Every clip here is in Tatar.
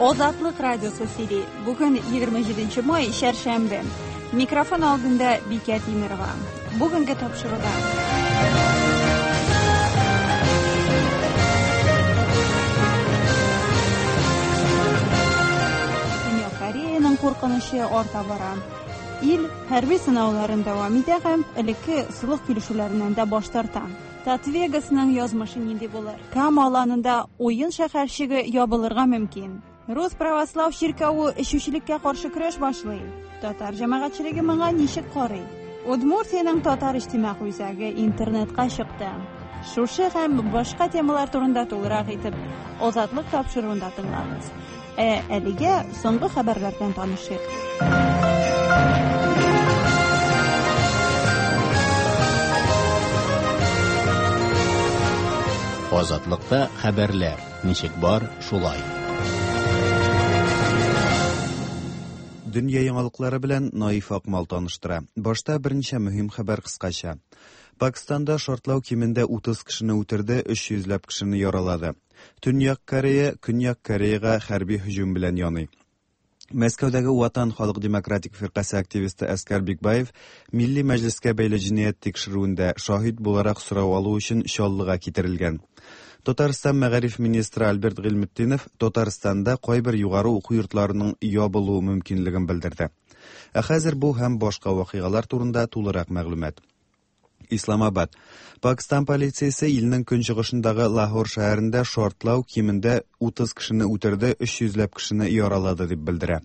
Азатлык радиосы сөйли. Бүген 27 май, чәршәмбе. Микрофон алдында Бикә Тимерова. Бүгенге тапшыруда. Көньяк Кореяның куркынычы арта бара. Ил хәрби сынауларын дәвам итә һәм элекке солых килешүләреннән дә баш тарта. Татвегасның язмышы нинди булыр? Кама аланында уен шәһәрчеге ябылырга мөмкин. Рус православ чиркәве эчүчелеккә каршы көрәш башлый. Татар җәмәгатьчелеге моңа ничек карый? Удмуртиянең татар иҗтимагый үзәге интернетка чыкты. Шушы һәм башка темалар турында тулырак итеп Азатлык тапшыруында тыңлагыз. Ә әлегә соңгы хәбәрләр белән танышыйк. Азатлыкта хәбәрләр ничек бар, шулай. Дөнья яңалыклары белән Наиф Акмал таныштыра. Башта берничә мөһим хәбәр кыскача. Пакистанда шартлау кимендә 30 кешене үтерде, 300 ләп кешене яралады. Төньяк Корея Көньяк Кореяга хәрби һөҗүм белән яный. Мәскәүдәге Ватан халык демократик фиркасе активисты Әскәр Бикбаев Милли Мәҗлескә бәйле җинаять тикшерүендә шаһит буларак сорау алу өчен Чаллыга китерелгән. Татарстан мәгариф министры Альберт Гыйльметдинов Татарстанда кайбер югары уку йортларының ябылу мөмкинлеген белдерде. Ә хәзер бу һәм башка вакыйгалар турында тулырак мәгълүмат. Исламабад. Пакстан полициясе илнең көнчыгышындагы Лахор шәһәрендә шартлау кимендә 30 кешене үтерде, 300 ләп кешене яралады дип белдерә.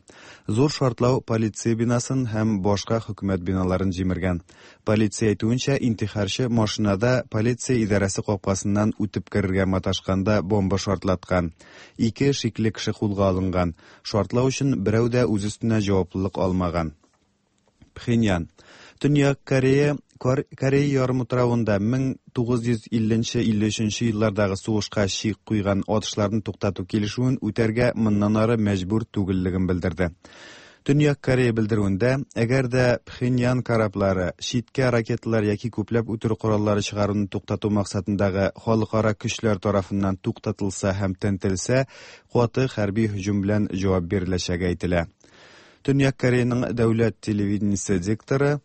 Зур шартлау полиция бинасын һәм башка хөкүмәт биналарын җимергән. Полиция әйтүенчә, интихарчы машинада полиция идарәсе капкасыннан үтеп керергә маташканда бомба шартлаткан. Ике шикле кеше кулга алынган. Шартлау өчен берәү дә үз өстенә җаваплылык алмаган. Пхеньян. Төньяк Корея Корея ярымутравында 1950-53 еллардагы сугышка чик куйган атышларны туктату килешүен үтәргә моннан ары мәҗбүр түгеллеген белдерде. Төньяк Корея белдерүендә, әгәр дә Пхеньян кораблары читкә ракеталар яки күпләп үтерү кораллары чыгаруны туктату максатындагы халыкара көчләр тарафыннан туктатылса һәм тентелсә, каты хәрби һөҗүм белән җавап биреләчәге әйтелә. Төньяк Кореяның дәүләт телевидениесе дикторы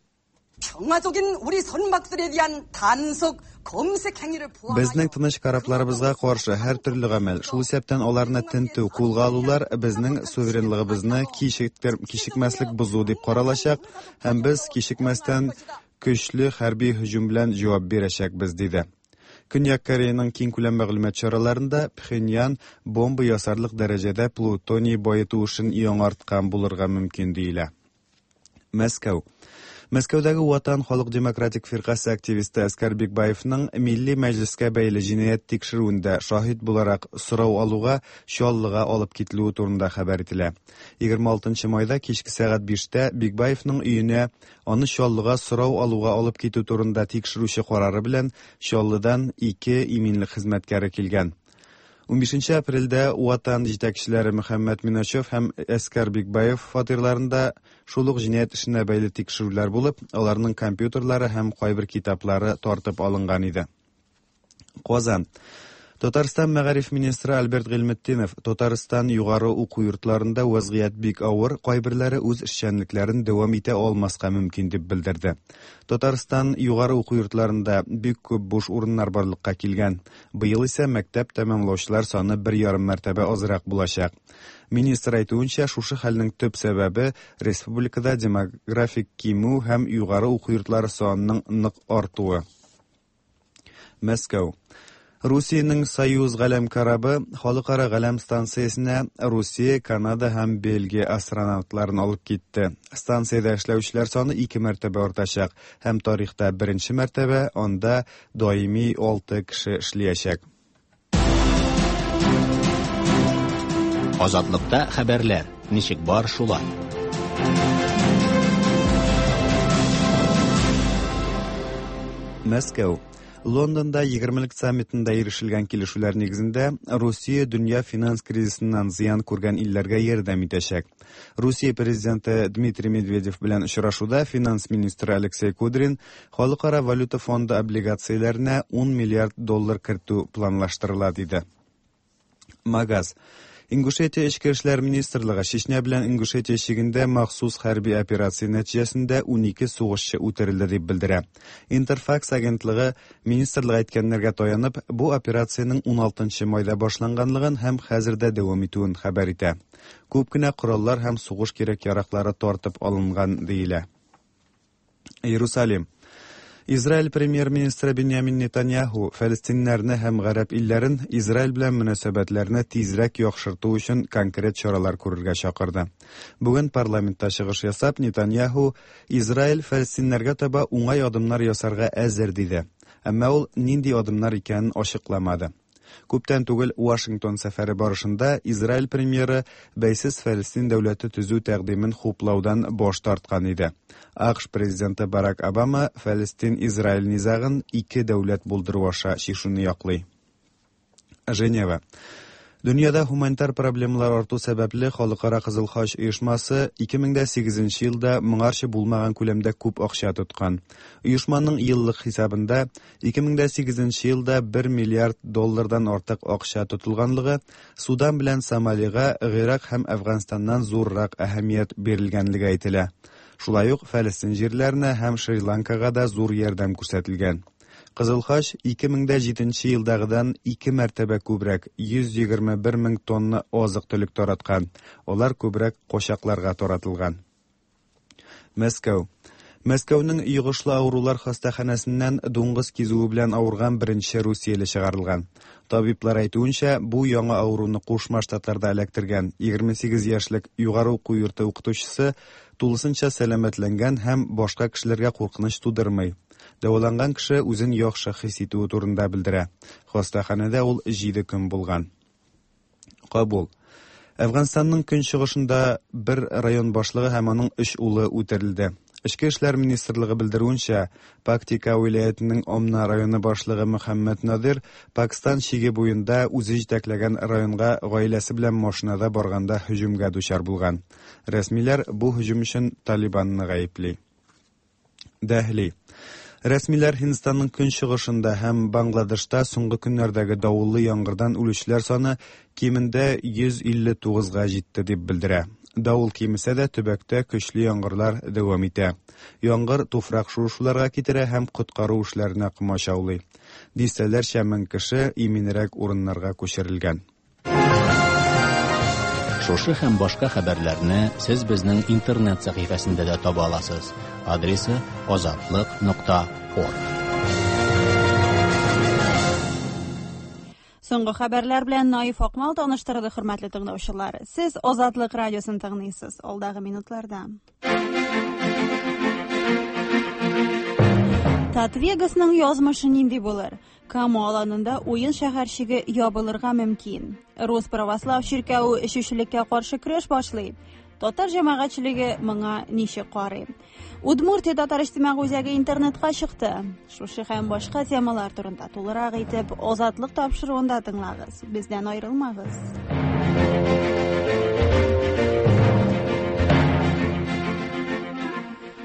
Безнең тыныч корабларыбызга каршы һәр төрле гамәл, шул исәптән аларны тентү, кулга алулар безнең суверенлыгыбызны кичекмәслек бозу дип каралачак һәм без кичекмәстән көчле хәрби һөҗүм белән җавап бирәчәкбез, диде. Көньяк Кореяның киңкүләм мәгълүмат чараларында Пхеньян бомба ясарлык дәрәҗәдә плутоний баету эшен яңарткан булырга мөмкин диелә. Мәскәү. Мәскәүдәге Ватан халык демократик фиркасе активисты Әскәр Бикбаевның Милли Мәҗлескә бәйле җинаять тикшерүендә шаһит буларак сорау алуга Чаллыга алып кителүе турында хәбәр ителә. 26 майда кичке сәгать биштә Бикбаевның өенә Аны Чаллыга сорау алуга алып китү турында тикшерүче карары белән Чаллыдан ике иминлек хезмәткәре килгән. Унбишенче апрельдә Ватан җитәкчеләре Мөхәммәт Миначев һәм Әскәр Бикбаев фатирларында шул ук җинаять эшенә бәйле тикшерүләр булып, аларның компьютерлары һәм кайбер китаплары тартып алынган иде. Казан. Татарстан мәгариф министры Альберт Гыйльметдинов Татарстан югары уку йортларында вәзгыять бик авыр, кайберләре үз эшчәнлекләрен дәвам итә алмаска мөмкин дип белдерде. Татарстан югары уку йортларында бик күп буш урыннар барлыкка килгән. Быел исә мәктәп тәмамлаучылар саны бер ярым мәртәбә азрак булачак. Министр әйтүенчә, шушы хәлнең төп сәбәбе республикада демографик кимү һәм югары уку йортлары санының нык артуы. Мәскәү. Русиянең Союз галәм корабы халыкара галәм станциясенә Русия, Канада һәм Бельгия астронавтларын алып китте. Станциядә эшләүчеләр саны ике мәртәбә артачак һәм тарихта беренче мәртәбә анда даими алты кеше эшлиячәк. Азатлыкта хәбәрләр ничек бар шулай. Мәскәү. Лондонда егермелек саммитында ирешелгән килешүләр нигезендә Русия дөнья финанс кризисыннан зыян күргән илләргә ярдәм итәчәк. Русия президенты Дмитрий Медведев белән очрашуда финанс министры Алексей Кудрин Халыкара валюта фонды облигацияләренә 10 миллиард доллар кертү планлаштырыла, диде. Магаз. Ингушетия Эчке эшләр министрлыгы Чечня белән Ингушетия чигендә махсус хәрби операция нәтиҗәсендә 12 сугышчы үтерелде дип белдерә. Интерфакс агентлыгы министрлык әйткәннәргә таянып, бу операциянең 16 майда башланганлыгын һәм хәзер дә дәвам итүен хәбәр итә. Күп кенә кораллар һәм сугыш кирәк-яраклары тартып алынган диелә. Иерусалим. Израиль премьер-министры Беньямин Нетаньяху фәлестиннәрне һәм гарәп илләрен Израиль белән мөнәсәбәтләрне тизрәк яхшырту өчен конкрет чаралар күрергә чакырды. Бүген парламентта чыгыш ясап, Нетаньяху Израиль фәлестиннәргә таба уңай адымнар ясарга әзер диде. Әмма ул нинди адымнар икәнен ачыкламады. Күптән түгел Вашингтон сәфәре барышында Израиль премьеры бәйсез Фәлестин дәүләте төзү тәкъдимен хуплаудан баш тарткан иде. АКШ президенты Барак Обама Фәлестин-Израиль низагын ике дәүләт булдыру аша чишүне яклый. Женева. Дөньяда һуманитар проблемалар арту сәбәпле Халыкара Кызыл Хач оешмасы 2008 елда моңарчы булмаган күләмдә күп акча тоткан. Оешманың еллык хисабында 2008 елда 1 миллиард доллардан артык акча тотылганлыгы, Судан белән Сомалига Гыйрак һәм Әфганстаннан зуррак әһәмият бирелгәнлеге әйтелә. Шулай ук Фәлестин җирләренә һәм Шри-Ланкага да зур ярдәм күрсәтелгән. Кызыл Хач 2007 елдагыдан ике мәртәбә күбрәк 121 мең тонна азык-төлек тараткан. Алар күбрәк качакларга таратылган. Мәскәү. Мәскәүнең йогышлы авырулар хастаханәсеннән дуңгыз кизүе белән авырган беренче русияле чыгарылган. Табиблар әйтүенчә, бу яңа авыруны Кушма Штатларда эләктергән 28 яшьлек югары уку йорты укытучысы тулысынча сәламәтләнгән һәм башка кешеләргә куркыныч тудырмый. Дәваланган кеше үзен яхшы хис итүе турында белдерә. Хастаханәдә ул 7 көн булган. Кабул. Әфганстанның көнчыгышында бер район башлыгы һәм аның өч улы үтерелде. Эчке эшләр министрлыгы белдерүенчә, Пактика вилаятының Омна районы башлыгы Мөхәммәд Надир Пакстан чиге буенда үзе җитәкләгән районга гаиләсе белән машинада барганда һөҗүмгә дучар булган. Рәсмиләр бу һөҗүм өчен Талибанны гаепли. Дәһли. Рәсмиләр Һиндстанның көнчыгышында һәм Бангладешта соңгы көннәрдәге давыллы яңгырдан үлүчеләр саны кимендә 159-га җитте дип белдерә. Давыл кимесә дә төбәктә көчле яңгырлар дәвам итә. Яңгыр туфрак шуышуларга китерә һәм коткару эшләренә комачаулый. Дистәләрчә мең кеше иминрәк урыннарга күчерелгән. Шушы һәм башка хәбәрләрне сез безнең интернет сәхифәсендә дә таба аласыз. Адресы azatliq.org. Соңгы хәбәрләр белән Наиф Акмал таныштырды, хөрмәтле тыңлаучылар. Сез Азатлык радиосын тыңлыйсыз. Алдагы минутларда. Татвегасның язмышы нинди булыр? Кама аланында уен шәһәрчеге ябылырга мөмкин. Рус православ чиркәве эчүчелеккә каршы көрәш башлый. Татар җәмәгатьчелеге моңа ничек карый? Удмуртия татар иҗтимагый үзәге интернетка чыкты. Шушы һәм башка темалар турында тулырак итеп Азатлык тапшыруында тыңлагыз. Бездән аерылмагыз.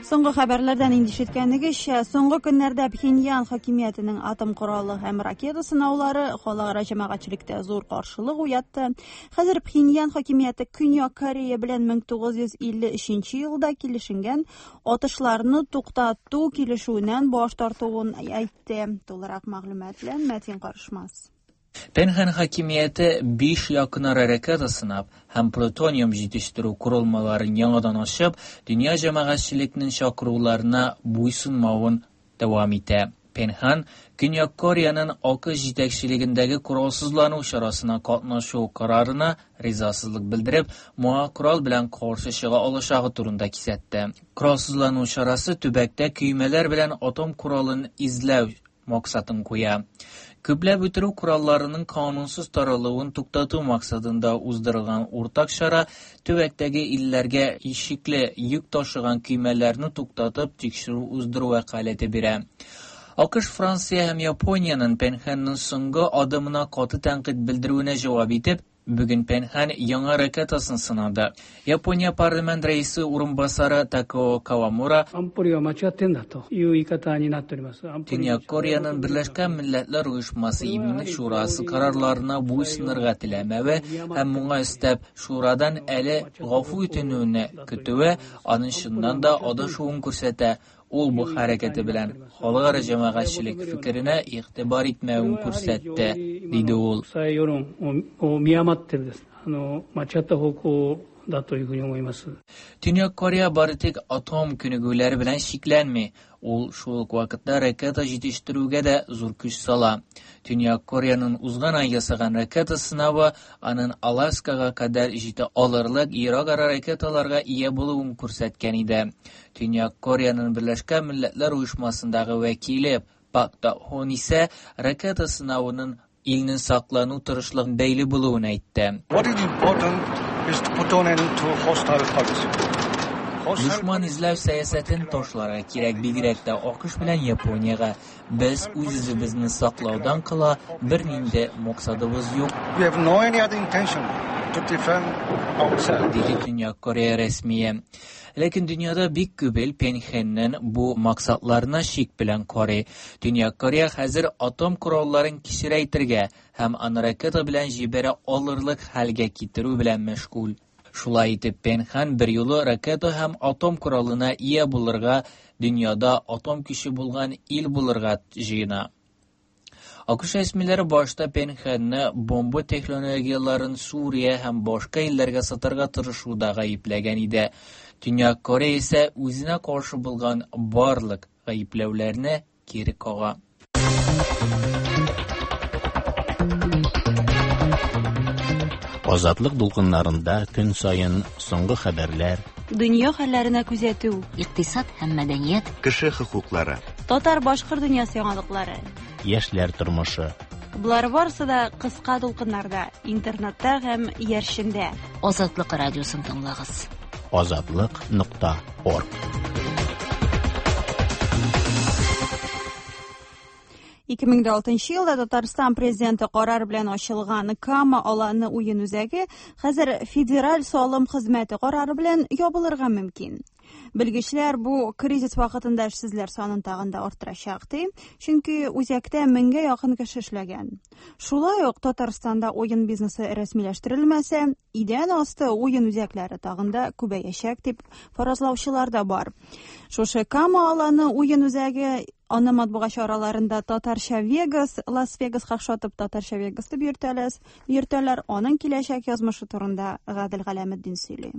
Соңгы хәбәрләрдән инде ишеткәнегезчә, соңгы көннәрдә Пхеньян хакимиятенең атом коралы һәм ракета сынаулары халыкара җәмәгатьчелектә зур каршылык уятты. Хәзер Пхеньян хакимияте Көньяк Корея белән 1953 елда килешенгән атышларны туктату килешүеннән баш тартуын әйтте. Тулырак мәгълүмат белән Мәтин Карышмас. Пенхан хакимияте 5 якынара ракета сынап һәм плутониум җитештерү корылмаларын яңадан ачып, дөнья җәмәгатьчелекнең чакыруларына буйсынмавын дәвам итә. Пенхан Көньяк Кореяның АКШ җитәкчелегендәге коралсызлану чарасына катнашу карарына ризасызлык белдереп, моңа корал белән каршы чыга алачагы турында кисәтте. Коралсызлану чарасы төбәктә көймәләр белән атом коралын изләү максатын куя. Күпләп үтерү коралларының канунсыз таралуын туктату максатында уздырылган уртак чара төбәктәге илләргә шикле йөк ташыган көймәләрне туктатып тикшерү уздыру вәкаләте бирә. АКШ, Франция һәм Япониянең Пенхенның соңгы адымына каты тәнкыйть белдерүенә җавап итеп, Бүген Пенхан яңа ракетасын сынады. Япония парламент рәисе урынбасары Такао Кавамура Төньяк Кореяның Берләшкән Милләтләр Оешмасы Иминлек Шурасы карарларына буйсынырга теләмәве һәм моңа өстәп Шурадан әле гафу үтенүне көтүе аның чыннан да адашуын күрсәтә. Ул бу хәрәкәте белән халыкара җәмәгатьчелек фикеренә игътибар итмәвен күрсәтте, диде ул. Төньяк Корея бары тик атом күнегүләре белән чикләнми, ул шул ук вакытта ракета җитештерүгә дә зур көч сала. Төньяк Кореяның узган ай ясаган ракета сынавы аның Аласкага кадәр җитә алырлык ерак-ара ракеталарга ия булуын күрсәткән иде. Төньяк Кореяның Берләшкән Милләтләр Оешмасындагы вәкиле Пак Та-Хон исә ракета сынавының илнең саклану тырышлыгын бәйле булуын әйтте. Дошман эзләү сәясәтен ташларга кирәк, бигрәк тә АКШ белән Япониягә. Без үз-үзебезне саклаудан кала бернинди максатыбыз юк. Диде Төньяк Корея рәсмие. Ләкин дөньяда бик күп ил Пенхеннең бу максатларына шик белән карый. Төньяк Корея хәзер атом коралларын кечерәйтергә һәм аны ракета белән җибәрә алырлык хәлгә китерү белән мәшгуль. Шулай итеп, Пенхан берьюлы ракета һәм атом коралына ия булырга, дөньяда атом көче булган ил булырга җыена. АКШ рәсмиләре башта Пенхенны бомба технологияләрен Сүрия һәм башка илләргә сатарга тырышуда гаепләгән иде. Төньяк Корея исә үзенә каршы булган барлык гаепләүләрне кире кага. Азатлык дулкыннарында көн саен соңгы хәбәрләр, Дөнья хәлләренә күзәтү, Икътисад һәм мәдәният, Кеше хокуклары. Татар-башкорт дөньясы яңалыклары. Яшьләр тормышы. Болар барысы да кыска дулкыннарда, интернетта һәм иярчендә. Азатлык радиосын тыңлагыз. Азатлык.орг. 2006 елда Татарстан президенты карар белән ачылган Кама аланы уен үзәге хәзер федераль салым хезмәте карары белән ябылырга мөмкин. Белгечләр бу кризис вакытында эшсезләр санын тагын да арттырачак ди, чөнки үзәктә меңгә якын кеше эшләгән. Шулай ук Татарстанда уен бизнесы рәсмиләштерелмәсә, идән асты уен үзәкләре тагын да күбәячәк дип фаразлаучылар да бар. Шушы Кама аланы уен үзәге аны матбугат чараларында Татарча Вегас, Лас-Вегаска охшатып Татарча Вегас дип йөртәләр. Аның киләчәк язмышы турында Гадел Галәметдин сөйли.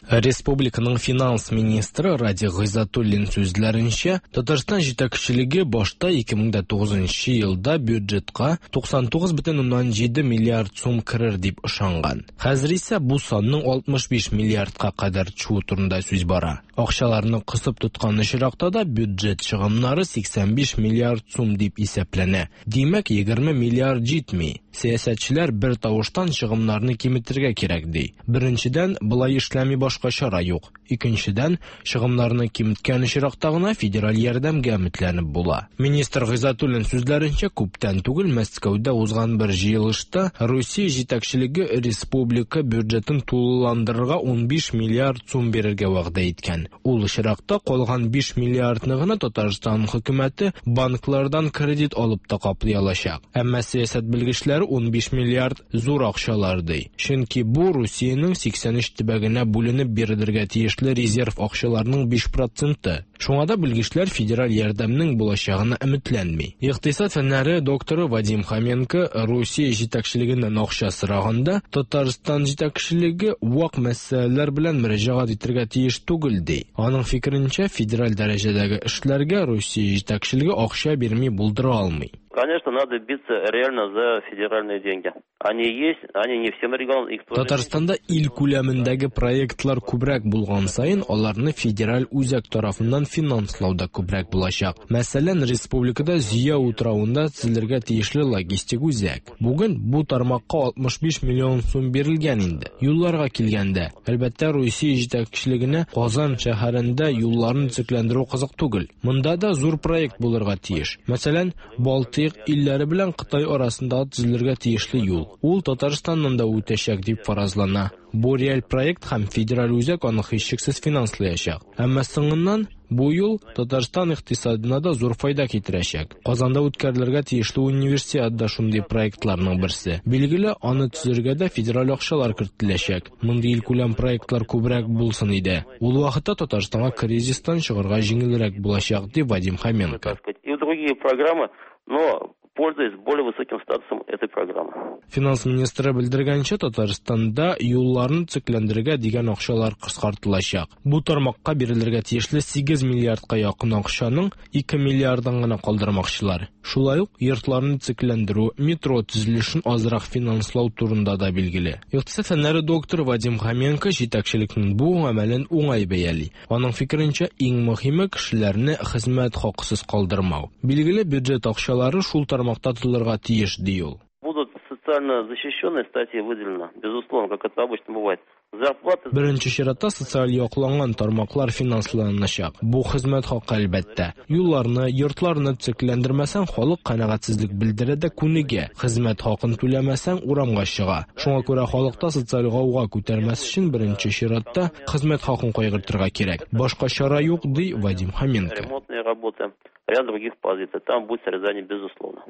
Республиканың финанс министры Радик Гыйззәтуллин сүзләренчә, Татарстан җитәкчелеге башта 2009 елда бюджетка 99,7 миллиард сум керер дип ышанган. Хәзер исә бу санның 65 миллиардка кадәр төшүе турында сүз бара. Акчаларны кысып тоткан очракта да бюджет чыгымнары 85 миллиард сум дип исәпләнә. Димәк, 20 миллиард җитми. Сәясәтчеләр бер тавыштан чыгымнарны киметергә кирәк ди. Беренчедән, болай эшләми башка чара юк. Икенчедән, чыгымнарны киметкән очракта гына федераль ярдәмгә өметләнеп була. Министр Гыйззәтуллин сүзләренчә, күптән түгел Мәскәүдә узган бер җыелышта Русия җитәкчелеге республика бюджетын тулыландырырга 15 миллиард сум бирергә вәгъдә иткән. Ул очракта калган 5 миллиардны гына Татарстан хөкүмәте банклардан кредит алып та каплый алачак. Әмма сәясәт белгечләре 15 миллиард зур акчалар ди. Чөнки бу Русиянең 83 төбәгенә бүленеп бирелергә тиешле резерв акчаларның 5%. Шуңа да белгечләр федераль ярдәмнең булачагына өметләнми. Икътисад фәннәре докторы Вадим Хоменко Русия җитәкчелегеннән акча сораганда Татарстан җитәкчелеге вак мәсьәләләр белән мөрәҗәгать итәргә тиеш түгел ди. Аның фикеренчә, федераль дәрәҗәдәге эшләргә Русия җитәкчелеге акча бирми булдыра алмый. Конечно, надо биться реально за федеральные деньги. Они есть, они не всем регионам, их тоже Татарстанда ил күләмендәге проектлар күбрәк булган саен, аларны федераль үзәк тарафыннан финанслау да күбрәк булачак. Мәсәлән, республикада Зөя утравында төзелергә тиешле логистик үзәк. Бүген бу тармакка 65 миллион сум бирелгән инде. Юлларга килгәндә, әлбәттә, Русия җитәкчелегенә Казан шәһәрендә юлларны төзекләндерү кызык түгел. Монда да зур проект булырга тиеш. Мәсәлән, Балтыйк КАИК илләре белән Кытай арасында төзелергә тиешле юл. Ул Татарстаннан да үтәчәк дип фаразлана. Бу реаль проект һәм федераль үзәк аны һичшиксез финанслаячак. Әмма соңыннан бу юл Татарстан икътисадына да зур файда китерәчәк. Казанда үткәрелергә тиешле универсиада да шундый проектларның берсе. Билгеле, аны төзергә дә федераль акчалар кертеләчәк. Мондый илкүләм проектлар күбрәк булсын иде. Ул вакытта Татарстанга кризистан чыгарга җиңелрәк булачак, ди Вадим Хоменко. И другие программы, но пользуясь более высоким статусом этой программы. Финанс министры белдергәнчә, Татарстанда юлларны төзекләндерергә дигән акчалар кыскартылачак. Бу тармакка бирелергә тиешле 8 миллиардка якын акчаның 2 миллиардын гына калдырмакчылар. Шулай ук йортларны төзекләндерү, метро төзелешен азрак финанслау турында да билгеле. Икътисад фәннәре докторы Вадим Хоменко җитәкчелекнең бу гамәлен уңай бәяли. Аның фикеренчә, иң мөһиме кешеләрне хезмәт хакысыз калдырмау. Билгеле, бюджет акчалары шул тармакта тотылырга тиеш, ди ул. Будут социально защищенные статьи выделены, безусловно, как это обычно бывает. Зарплаты... Беренче чиратта социаль якланган тармаклар финансланачак. Бу хезмәт хакы әлбәттә. Юлларны, йортларны төзекләндермәсәң, халык канәгатьсезлек белдерә дә күнегә. Хезмәт хакын түләмәсәң, урамга чыга. Шуңа күрә халыкта социаль гауга күтәрмәс өчен беренче чиратта хезмәт хакын кайгыртырга кирәк. Башка чара юк, ди Вадим Хоменко. Ремонтные работы, ряд других позиций. Там будет срезание, безусловно.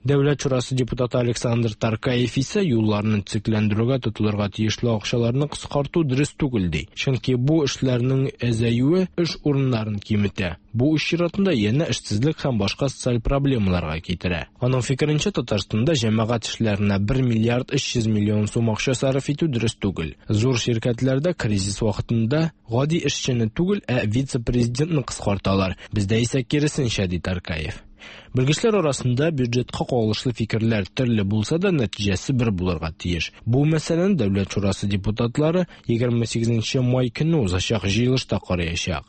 Дәүләт шурасы депутаты Александр Таркаев исә юлларны төзекләндерүгә тотылырга тиешле акчаларны кыскарту дөрес түгел ди. Чөнки бу эшләрнең әзәюе эш урыннарын киметә. Бу үз чиратында янә эшсезлек һәм башка социаль проблемаларга китерә. Аның фикеренчә, Татарстанда җәмәгать эшләренә 1 миллиард 300 миллион сум акча сарыф итү дөрес түгел. Зур ширкәтләрдә кризис вакытында гади эшчене түгел, ә вице-президентны кыскарталар. Бездә исә киресенчә, ди Таркаев. Белгечләр арасында бюджетка кагылышлы фикерләр төрле булса да, нәтиҗәсе бер булырга тиеш. Бу мәсьәләне Дәүләт шурасы депутатлары 28 май көне узачак җыелышта караячак.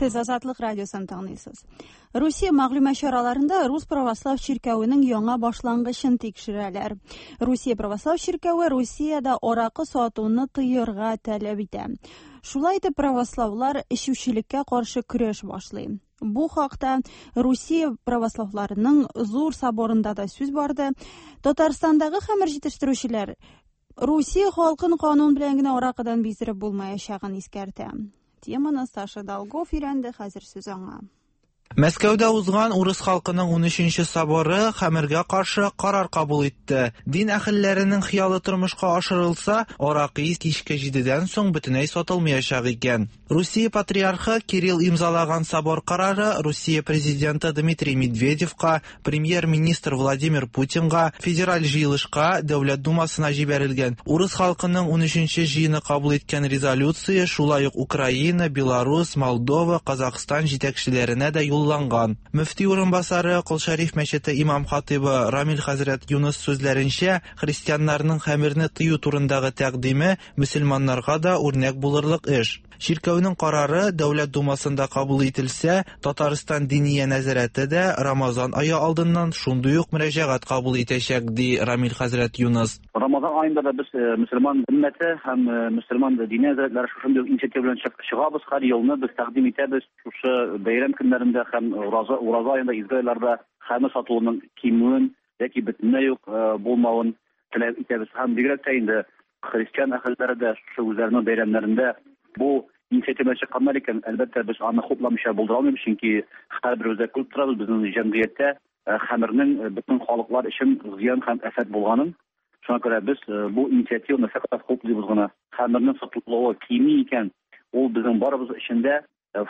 Сез Азатлык радиосын тыңлыйсыз. Русия мәгълүмат чараларында Рус православ чиркәвенең яңа башлангычын тикшерәләр. Русия православ чиркәве Русиядә аракы сатуны тыярга таләп итә. Шулай итеп православлар эчүчелеккә каршы көрәш башлый. Бу хакта Русия православларының зур соборында да сүз барды. Татарстандагы хәмер җитештерүчеләр Русия халкын канун белән генә аракыдан биздереп булмаячагын искәртә. Теманы Саша Долгов өйрәнде, хәзер сүз аңа. Мәскәүдә узган урыс халкының 13-нче соборы хәмергә каршы карар кабул итте. Дин әһелләренең хыялы тормышка ашырылса, аракы кичке 7-дән соң бөтенләй сатылмаячак икән. Русия патриархы Кирилл имзалаган собор карары Русия президенты Дмитрий Медведевка, премьер-министр Владимир Путинга, федераль җыелышка, Дәүләт Думасына җибәрелгән. Урыс халкының 13-нче җыены кабул иткән резолюция шулай ук Украина, Беларусь, Молдова, Казахстан җитәкчеләренә дә юлланган. Мөфти урынбасары Кол Шәриф мәчете имам хатибы Рамил хәзрәт Юныс сүзләренчә, христианнарның хәмерне тыю турындагы тәкъдиме мөселманнарга да үрнәк булырлык эш. Чиркәүнең карары Дәүләт Думасында кабул ителсә, Татарстан Диния нәзарәте дә Рамазан ае алдыннан шундый ук мөрәҗәгать кабул итәчәк, ди Рамил хәзрәт Юныс. Рамазан аенда да без мөселман өммәте һәм мөселман диния нәзарәтләре шушындый инициатива белән чыгабыз. Һәр елны без тәкъдим итәбез шушы бәйрәм көннәрендә һәм ураза аенда изге айларда хәмер сатылуының кимүен яки бөтенләй үк булмавын теләп итәбез. Һәм бигрәк тә инде христиан әһелләре дә шушы үзләренең бәйрәмнәрендә бу инициатива чыкканнар икән, әлбәттә, без аны хупламыйча булдыра алмыйбыз, чөнки һәрберебез дә күреп торабыз, безнең җәмгыятьтә хәмернең бөтен халыклар өчен зыян һәм афәт булганын. Шуңа күрә без бу инициативаны фәкать хуплыйбыз гына. Хәмернең сатылуы кими икән, ул безнең барыбыз өчен дә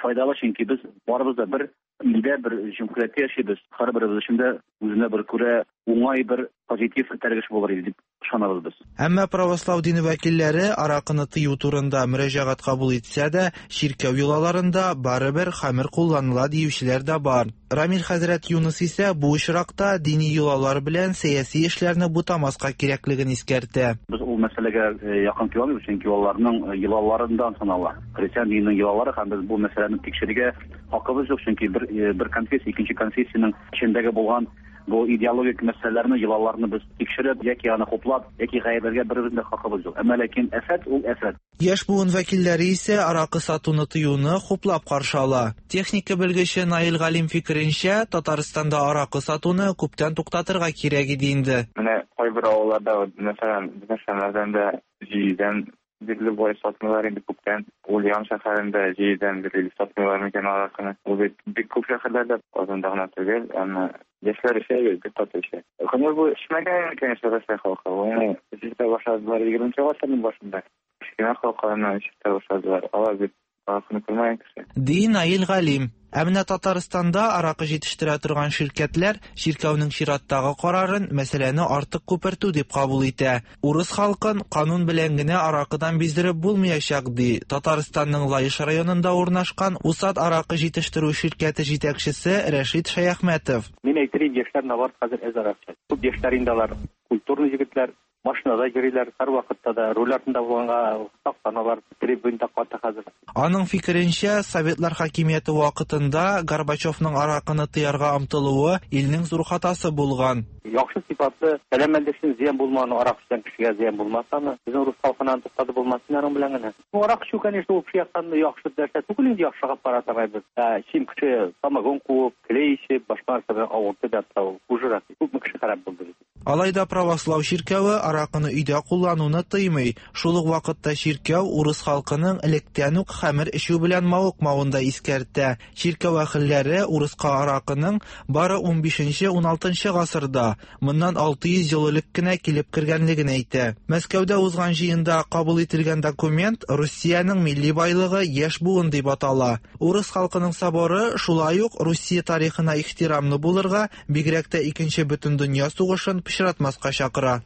файдалы, чөнки без барыбыз да бер илдә, бер җөмһүрияттә яшибез. Һәрберебез өчен дә үзенә бер күрә уңай бер позитив этәргеч булыр иде дип ышанабыз без. Әмма православ дине вәкилләре аракыны тыю турында мөрәҗәгать кабул итсә дә, чиркәү йолаларында барыбер хәмер кулланыла диючеләр дә бар. Рамил хәзрәт Юныс исә бу очракта дини йолалар белән сәяси эшләрне бутамаска кирәклеген искәртә. Без ул мәсьәләгә якын килә алмыйбыз, чөнки аларның йолаларыннан санала. Христиан диненең йолалары һәм без бу мәсьәләне тикшерергә хакыбыз юк, чөнки бер конфессия икенче конфессиянең эчендәге булган Бу идеологик мәсьәләләрне, йолаларны без тикшереп яки аны хуплап, яки гаепләргә беребезнең дә хакыбыз юк. Әмма ләкин афәт ул афәт. Яшь буын вәкилләре исә аракы сатуны тыюны хуплап каршы ала. Техника белгече Наил Галим фикеренчә, Татарстанда аракы сатуны күптән туктатырга кирәк иде инде. Менә кайбер авылларда, мәсәлән, безнең Шәмәрдәндә җидедән бирле болай сатмыйлар инде күптән. Ульян шәһәрендә җидедән бирле сатмыйлар микән аракыны. Ул бит бик күп шәһәрләрдә, Казанда гына түгел, әмма яшьләр эчә бит, бик каты эчә. Көне буе эчмәгән, конечно, Россия халкы. Аны эчә башладылар 20 гасырның башында. Кечкенә халыкларны эчә башладылар. Алар бит аракыны күрмәгән кеше. Ди Наил Галим. Ә менә Татарстанда аракы җитештерә торган ширкәтләр чиркәүнең чираттагы карарын мәсьәләне артык күпертү дип кабул итә. Урыс халкын канун белән генә аракыдан биздереп булмаячак, ди Татарстанның Лаеш районында урнашкан Усад аракы җитештерү ширкәте җитәкчесе Рәшит Шәяхмәтов. Мин әйтер идем, яшьләр наоборот хәзер әз арак эчә. Күп яшьләр инде алар культурный егетләр, машинада йөриләр, һәрвакытта да руль артында булганга сакланалар, трибунда каты хәзер. Аның фикеренчә, Советлар хакимияте вакытында Горбачевның аракыны тыярга омтылуы илнең зур хатасы булган. Яхшы сыйфатлы, сәламәтлек өчен зыян булмаган арак эчкән кешегә зыян булмасамы, безнең рус халкына туктатып булмас аның белән генә. Ну, арак эчү, конечно, ул кеше яктан яхшы нәрсә түгел инде, яхшыга карасаң без. Чем кеше самогон куып, клей эчеп, башка нәрсә белән авыртып ятса, ул хужерак. Күпме кеше харап булды бит. Алай да православ чиркәве аракыны өйдә куллануны тыймый. Шул ук вакытта чиркәү урыс халкының электән үк хәмер эчү белән мавыкмавын да искәртә. Чиркәү әһелләре урыска аракының бары 15-16 гасырда, моннан 600 ел элек кенә килеп кергәнлеген әйтә. Мәскәүдә узган җыенда кабул ителгән документ Русиянең милли байлыгы яшь буын дип атала. Урыс халкының соборы шулай ук Русия тарихына ихтирамлы булырга, бигрәк тә икенче бөтендөнья сугышын пычратмаска чакыра.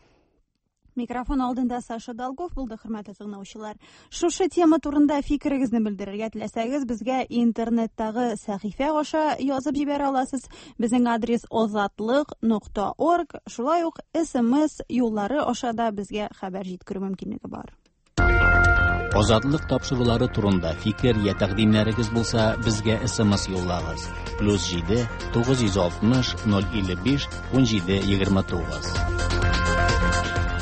Микрофон алдында Саша Долгов булды, хөрмәтле тыңлаучылар. Шушы тема турында фикерегезне белдерергә теләсәгез, безгә интернеттагы сәхифә аша язып җибәрә аласыз. Безнең адрес озатлык.орг. Шулай ук SMS юллары аша да безгә хәбәр җиткерү мөмкинлеге бар. Азатлык тапшырулары турында фикер я тәкъдимнәрегез булса, безгә SMS юллагыз. +7 960 055 17 29.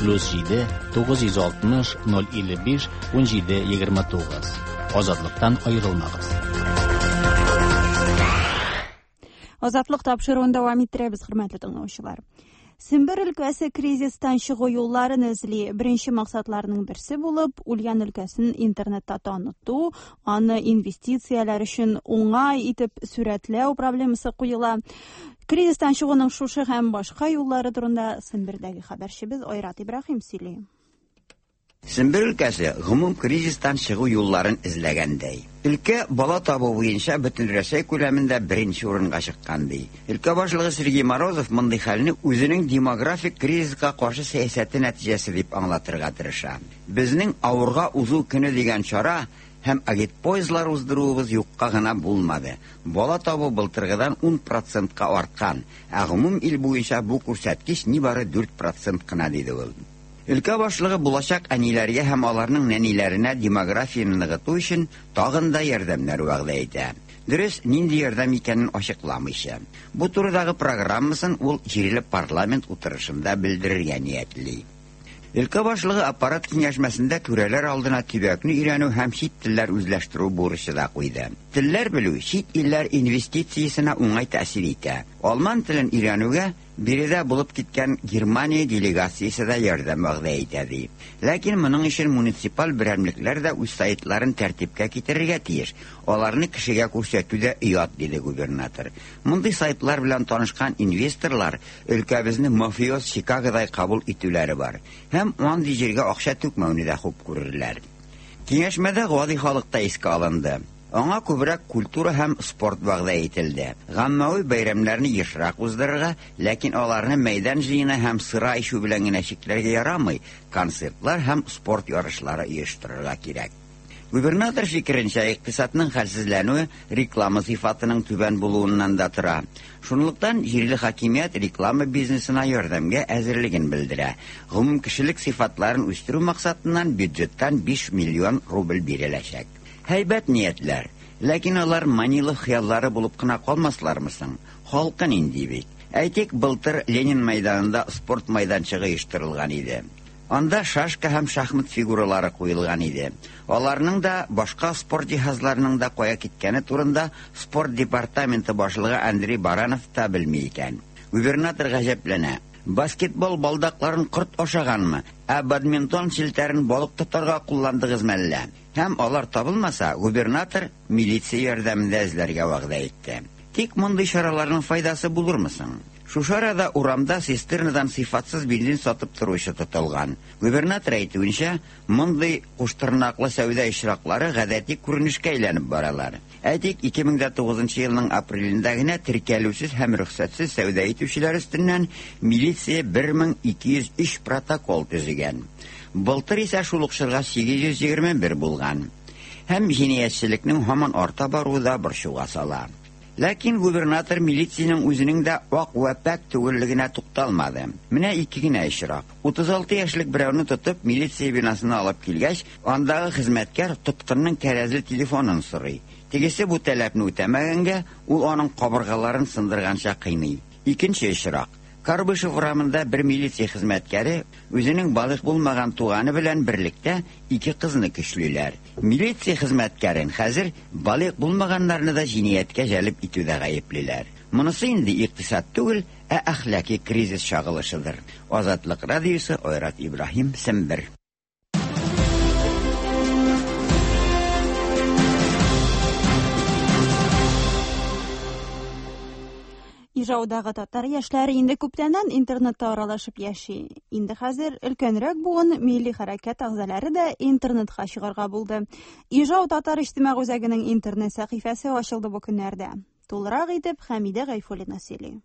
+7 960 055 17 29. Азатлыктан аерылмагыз. Азатлык тапшыруын дәвам иттерәбез, хөрмәтле тыңлаучылар. Сембер өлкәсе кризистан чыгу юлларын эзли. Беренче максатларының берсе булып, Ульян өлкәсен интернетта таныту, аны инвестицияләр өчен уңай итеп сурәтләү проблемасы куела. Кризистан чыгуның шушы һәм башка юллары турында Сембердәге хәбәрчебез Айрат Ибраһим сөйли. Сембер өлкәсе гомум кризистан чыгу юлларын эзләгәндәй. Өлкә бала табу буенча бөтен Рәсәй күләмендә беренче урынга чыккан ди. Өлкә башлыгы Сергей Морозов мондый хәлне үзенең демографик кризиска каршы сәясәте нәтиҗәсе дип аңлатырга тырыша. Безнең авырга узу көне дигән чара һәм агитпоездлар уздыруыбыз юкка гына булмады. Бала табу былтыргыдан 10%-ка арткан, ә гомум ил буенча бу күрсәткеч нибары 4% кына диде ул. Өлкә башлыгы булачак әниләргә һәм аларның нәниләренә демографияне ныгыту өчен тагын да ярдәмнәр вәгъдә итә. Дөрес, нинди ярдәм икәнен ачыкламыйча. Бу турыдагы программасын ул җирле парламент утырышында белдерергә ниятли. Өлкә башлыгы аппарат киңәшмәсендә түрәләр алдына төбәкне өйрәнү һәм чит телләр үзләштерү бурычы да куйды. Телләр белү чит илләр инвестициясенә уңай тәэсир итә. Алман телен өйрәнүгә биредә булып киткән Германия делегациясе дә ярдәм вәгъдә итә ди. Ләкин моның өчен муниципаль берәмлекләр дә үз сайтларын тәртипкә китерергә тиеш. Аларны кешегә күрсәтү дә оят, диде губернатор. Мондый сайтлар белән танышкан инвесторлар өлкәбезне мафиоз Чикагодай кабул итүләре бар. Һәм андый җиргә акча түкмәүне дә хуп күрерләр. Киңәшмәдә гади халык та искә алынды. Аңа күбрәк культура һәм спорт вәгъдә ителде. Гаммәви бәйрәмнәрне ешрак уздырырга, ләкин аларны мәйдан җыены һәм сыра эчү белән генә чикләргә ярамый, концертлар һәм спорт ярышлары оештырырга кирәк. Губернатор фикеренчә, икътисадның хәлсезләнүе реклама сыйфатының түбән булуыннан да тора. Шунлыктан җирле хакимият реклама бизнесына ярдәмгә әзерлеген белдерә. Гомум кешелек сыйфатларын үстерү максатыннан бюджеттан 5 миллион рубль биреләчәк. Һәйбәт ниятләр, ләкин алар Манилов хыяллары булып кына калмаслармы соң? Халкы нинди бит? Әйтик, былтыр Ленин мәйданында спорт мәйданчыгы оештырылган иде. Анда шашка һәм шахмат фигуралары куелган иде. Аларның да, башка спорт җиһазларының да кая киткәне турында спорт департаменты башлыгы Андрей Баранов та белми икән. Губернатор гаҗәпләнә. Баскетбол балдакларын корт ашаганмы? Ә бадминтон челтәрен балык тотарга кулландыгызмы әллә? Һәм алар табылмаса, губернатор милиция ярдәмендә эзләргә вәгъдә итте. Тик мондый чараларның файдасы булырмы соң? Шушы арада урамда цистернадан сыйфатсыз бензин сатып торучы тотылган. Губернатор әйтүенчә, мондый куштырнаклы сәүдә очраклары гадәти күренешкә әйләнеп баралар. Әйтик, 2009 елның апрелендә генә теркәлүсез һәм рөхсәтсез сәүдә итүчеләр өстеннән милиция 1203 протокол төзегән. Былтыр исә шул ук чорга 821 булган. Һәм җинаятьчелекнең һаман арта баруы да борчуга сала. Ләкин губернатор милициянең үзенең дә ак вә пакь түгеллегенә тукталмады. Менә ике генә очрак. 36 яшьлек берәүне тотып, милиция бинасына алып килгәч, андагы хезмәткәр тоткынның кәрәзле телефонын сорый. Тегесе бу таләпне үтәмәгәнгә, ул аның кабыргаларын сындырганча кыйный. Икенче очрак. Карбышев урамында бер милиция хезмәткәре үзенең балигъ булмаган туганы белән берлектә ике кызны көчлиләр. Милиция хезмәткәрен хәзер балигъ булмаганнарны да җинаятькә җәлеп итүдә гаеплиләр. Монысы инде икътисад түгел, ә әхлаки кризис чагылышыдыр. Азатлык радиосы Айрат Ибраһим, Сембер. Ижаудагы татар яшьләре инде күптәннән интернетта аралашып яши. Инде хәзер өлкәнрәк буын милли хәрәкәт әгъзалары да интернетка чыгарга булды. Ижау татар иҗтимагый үзәгенең интернет сәхифәсе ачылды бу көннәрдә. Тулырак итеп Хәмидә Гайфуллина сөйли.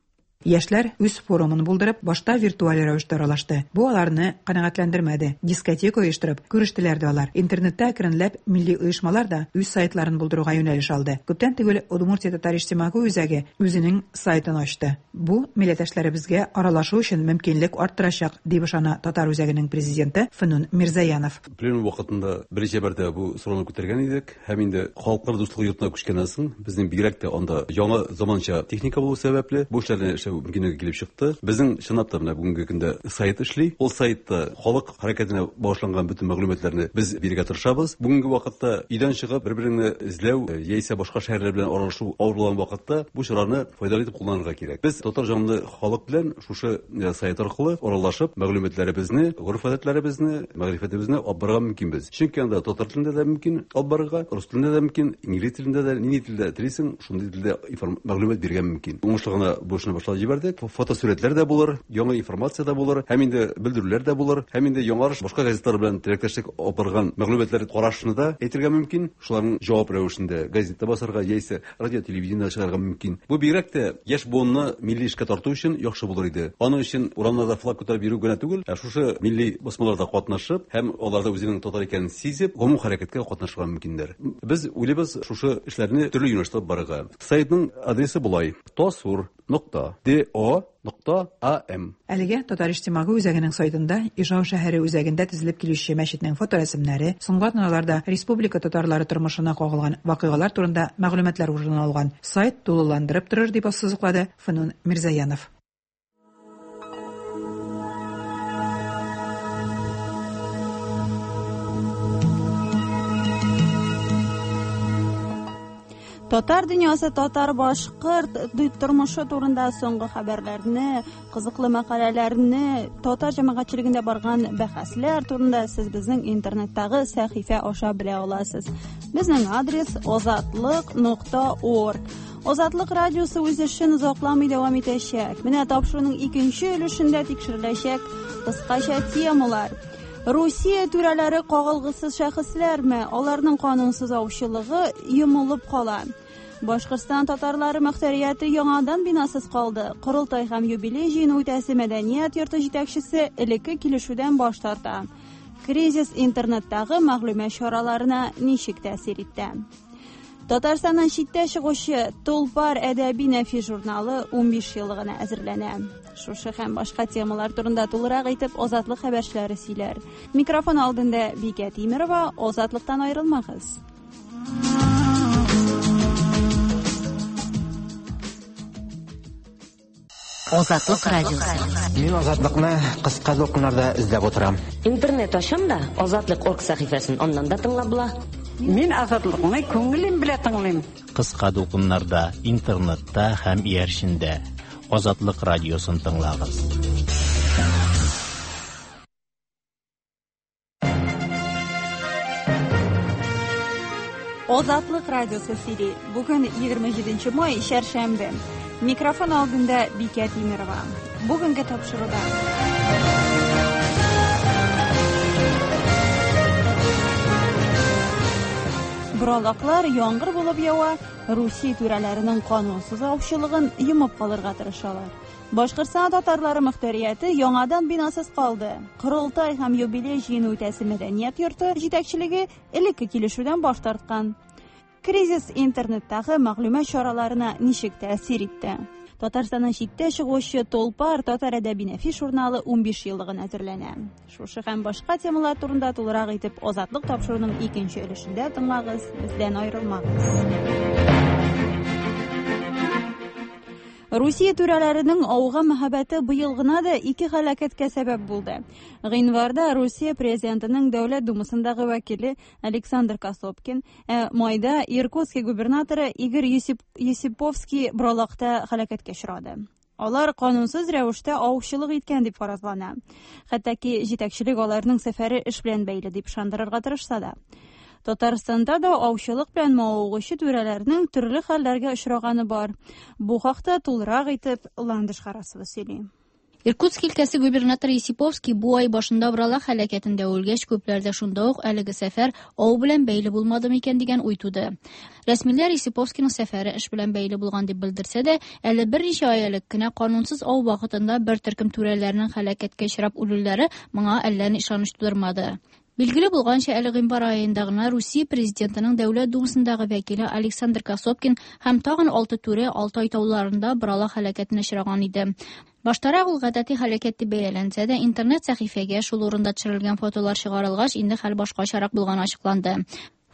Яшьләр үз форумын булдырып, башта виртуаль рәвештә аралашты. Бу аларны канәгатьләндермәде. Дискотека оештырып, күрештеләр дә алар. Интернетта әкренләп милли оешмалар да үз сайтларын булдыруга юнәлеш алды. Күптән түгел Удмуртия татар иҗтимагый үзәге үзенең сайтын ачты. Бу милләттәшләребезгә аралашу өчен мөмкинлек арттырачак, дип ышана татар үзәгенең президенты Фнун Мирзаянов. Пленум вакытында берничә мәртәбә бу сорауны күтәргән идек һәм инде Халыклар дуслыгы йортына күчкәннән соң безнең бигрәк тә анда яңа заманча техника булу сәбәпле бу эшләрне эшләү мөмкинлеге килеп чыкты. Безнең чынлап та менә бүгенге көндә сайт эшли. Ул сайтта халык хәрәкәтенә багышланган бөтен мәгълүматларны без бирергә тырышабыз. Бүгенге вакытта өйдән чыгып бер-береңне эзләү яисә башка шәһәрләр белән аралашу авыр булган вакытта бу чараны файдалы итеп кулланырга кирәк. Без татар җанлы халык белән шушы сайт аркылы аралашып, мәгълүматларыбызны, гореф-гадәтләребезне, мәгърифәтебезне алып барырга мөмкинбез. Чөнки анда татар телендә дә мөмкин алып барырга, рус телендә дә мөмкин, инглиз телендә дә, нинди телдә телисең, шундый телдә мәгълүмат бирергә мөмкин. Уңышлы гына бу эшне башлап җибәрдек. Фотосурәтләр дә булыр, яңа информация дә булыр, һәм инде белдерүләр дә булыр, һәм инде Яңарыш башка газеталар белән теләктәшлек алып барган мәгълүматлар карашны да әйтергә мөмкин. Шуларның җавап рәвешендә газетта басарга яисә радио, телевидениедә чыгарга мөмкин. Бу бигрәк тә яшь буынны милли эшкә тарту өчен яхшы булыр иде. Аның өчен урамнарда флаг күтәреп йөрү генә түгел, ә шушы милли басмаларда катнашып һәм аларда үзенең татар икәнен сизеп, гомум хәрәкәткә катнашырга мөмкиннәр. Без уйлыйбыз шушы эшләрне төрле юнәлештә алып барырга. Сайтның адресы болай: тасур нокта до нокта ам. Әлегә Татар иҗтимагый үзәгенең сайтында Ижау шәһәре үзәгендә төзелеп килүче мәчетнең фоторәсемнәре, соңгы атналарда республика татарлары тормышына кагылган вакыйгалар турында мәгълүматлар урын алган. Сайт тулыландырып торыр, дип ассызыклады Фнун Мирзаянов. Татар дөньясы, татар башкорт тормышы турында соңгы хәбәрләрне, кызыклы мәкаләләрне, татар җәмәгатьчелегендә барган бәхәсләр турында сез безнең интернеттагы сәхифә аша белә аласыз. Безнең адрес озатлык.орг. Озатлык радиосы үз эшен озакламый дәвам итәчәк. Менә тапшыруның икенче өлешендә тикшереләчәк кыскача темалар. Русия түрәләре кагылгысыз шәхесләрме? Аларның канунсыз аучылыгы йомылып кала. Башкортстан татарлары мөхтәрияте яңадан бинасыз калды. Корылтай һәм юбилей җыены үтәсе мәдәният йорты җитәкчесе элекке килешүдән баш тарта. Кризис интернеттагы мәгълүмат чараларына ничек тәэсир итә? Татарстаннан читтә чыгучы Тулпар әдәби нәфис журналы 15 еллыгына әзерләнә. Шушы һәм башка темалар турында тулырак итеп Азатлык хәбәрчеләре сөйләр. Микрофон алдында Бикә Тимерова, Азатлыктан аерылмагыз. Азатлык радиосы. Мин Азатлыкны кыска дулкыннарда эзләп утырам. Интернет ачам да, Азатлык орг сәхифәсен аннан да тыңлап була. Мин Азатлыкны күңелем белән тыңлыйм. Кыска дулкыннарда, интернетта һәм иярчендә. Азатлык радиосын тыңлагыз. Азатлык радиосы сөйли. Бүген 27 май, чәршәмбе. Микрофон алдында Бикә Тимерова. Бүгенге тапшыруда. Боралаклар яңгыр булып ява, Русия түрәләренең канунсыз аучылыгын йомып калырга тырышалар. Башкортстан татарлары мөхтәрияте яңадан бинасыз калды. Корылтай һәм юбилей җыены үтәсе мәдәният йорты җитәкчелеге элекке килешүдән баш тарткан. Кризис интернеттагы мәгълүмат чараларына ничек тәэсир итте? Татарстаннан читтә чыгучы Толпар татар әдәби нәфис журналы 15 еллыгын әзерләнә. Шушы һәм башка темалар турында тулырак итеп Азатлык тапшыруының икенче өлешендә тыңлагыз, бездән аерылмагыз. Русия түрәләренең ауга мәхәббәте быел гына да ике һәлакәткә сәбәп булды. Гыйнварда Русия президентының Дәүләт Думасындагы вәкиле Александр Косопкин, ә майда Иркутский губернаторы Игорь Есиповский Бралакта һәлакәткә очрады. Алар канунсыз рәвештә аучылык иткән дип фаразлана. Хәтта ки җитәкчелек аларның сәфәре эш белән бәйле дип ышандырырга тырышса да. Татарстанда да аучылык белән мавыгучы түрәләрнең төрле хәлләргә очраганы бар. Бу хакта тулырак итеп Ландыш Харасова сөйли. Иркутск өлкәсе губернаторы Есиповский бу ай башында Бралак һәлакәтендә үлгәч, күпләрдә шунда ук әлеге сәфәр ау белән бәйле булмады микән дигән уй туды. Рәсмиләр Есиповскийның сәфәре эш белән бәйле булган дип белдерсә дә, әле берничә ай элек кенә канунсыз ау вакытында бер төркем түрәләрнең һәлакәткә очрап үлүләре моңа әллә ни ышаныч тудырмады. Билгеле булганча, әле гыйнвар аенда гына Русия президентының Дәүләт Думасындагы вәкиле Александр Косопкин һәм тагын 6 түрә Алтай тауларында Бралак һәлакәтенә очраган иде. Баштарак ул гадәти һәлакәт дип бәяләнсә дә, интернет сәхифәгә шул урында төшерелгән фотолар чыгарылгач, инде хәл башкачарак булганы ачыкланды.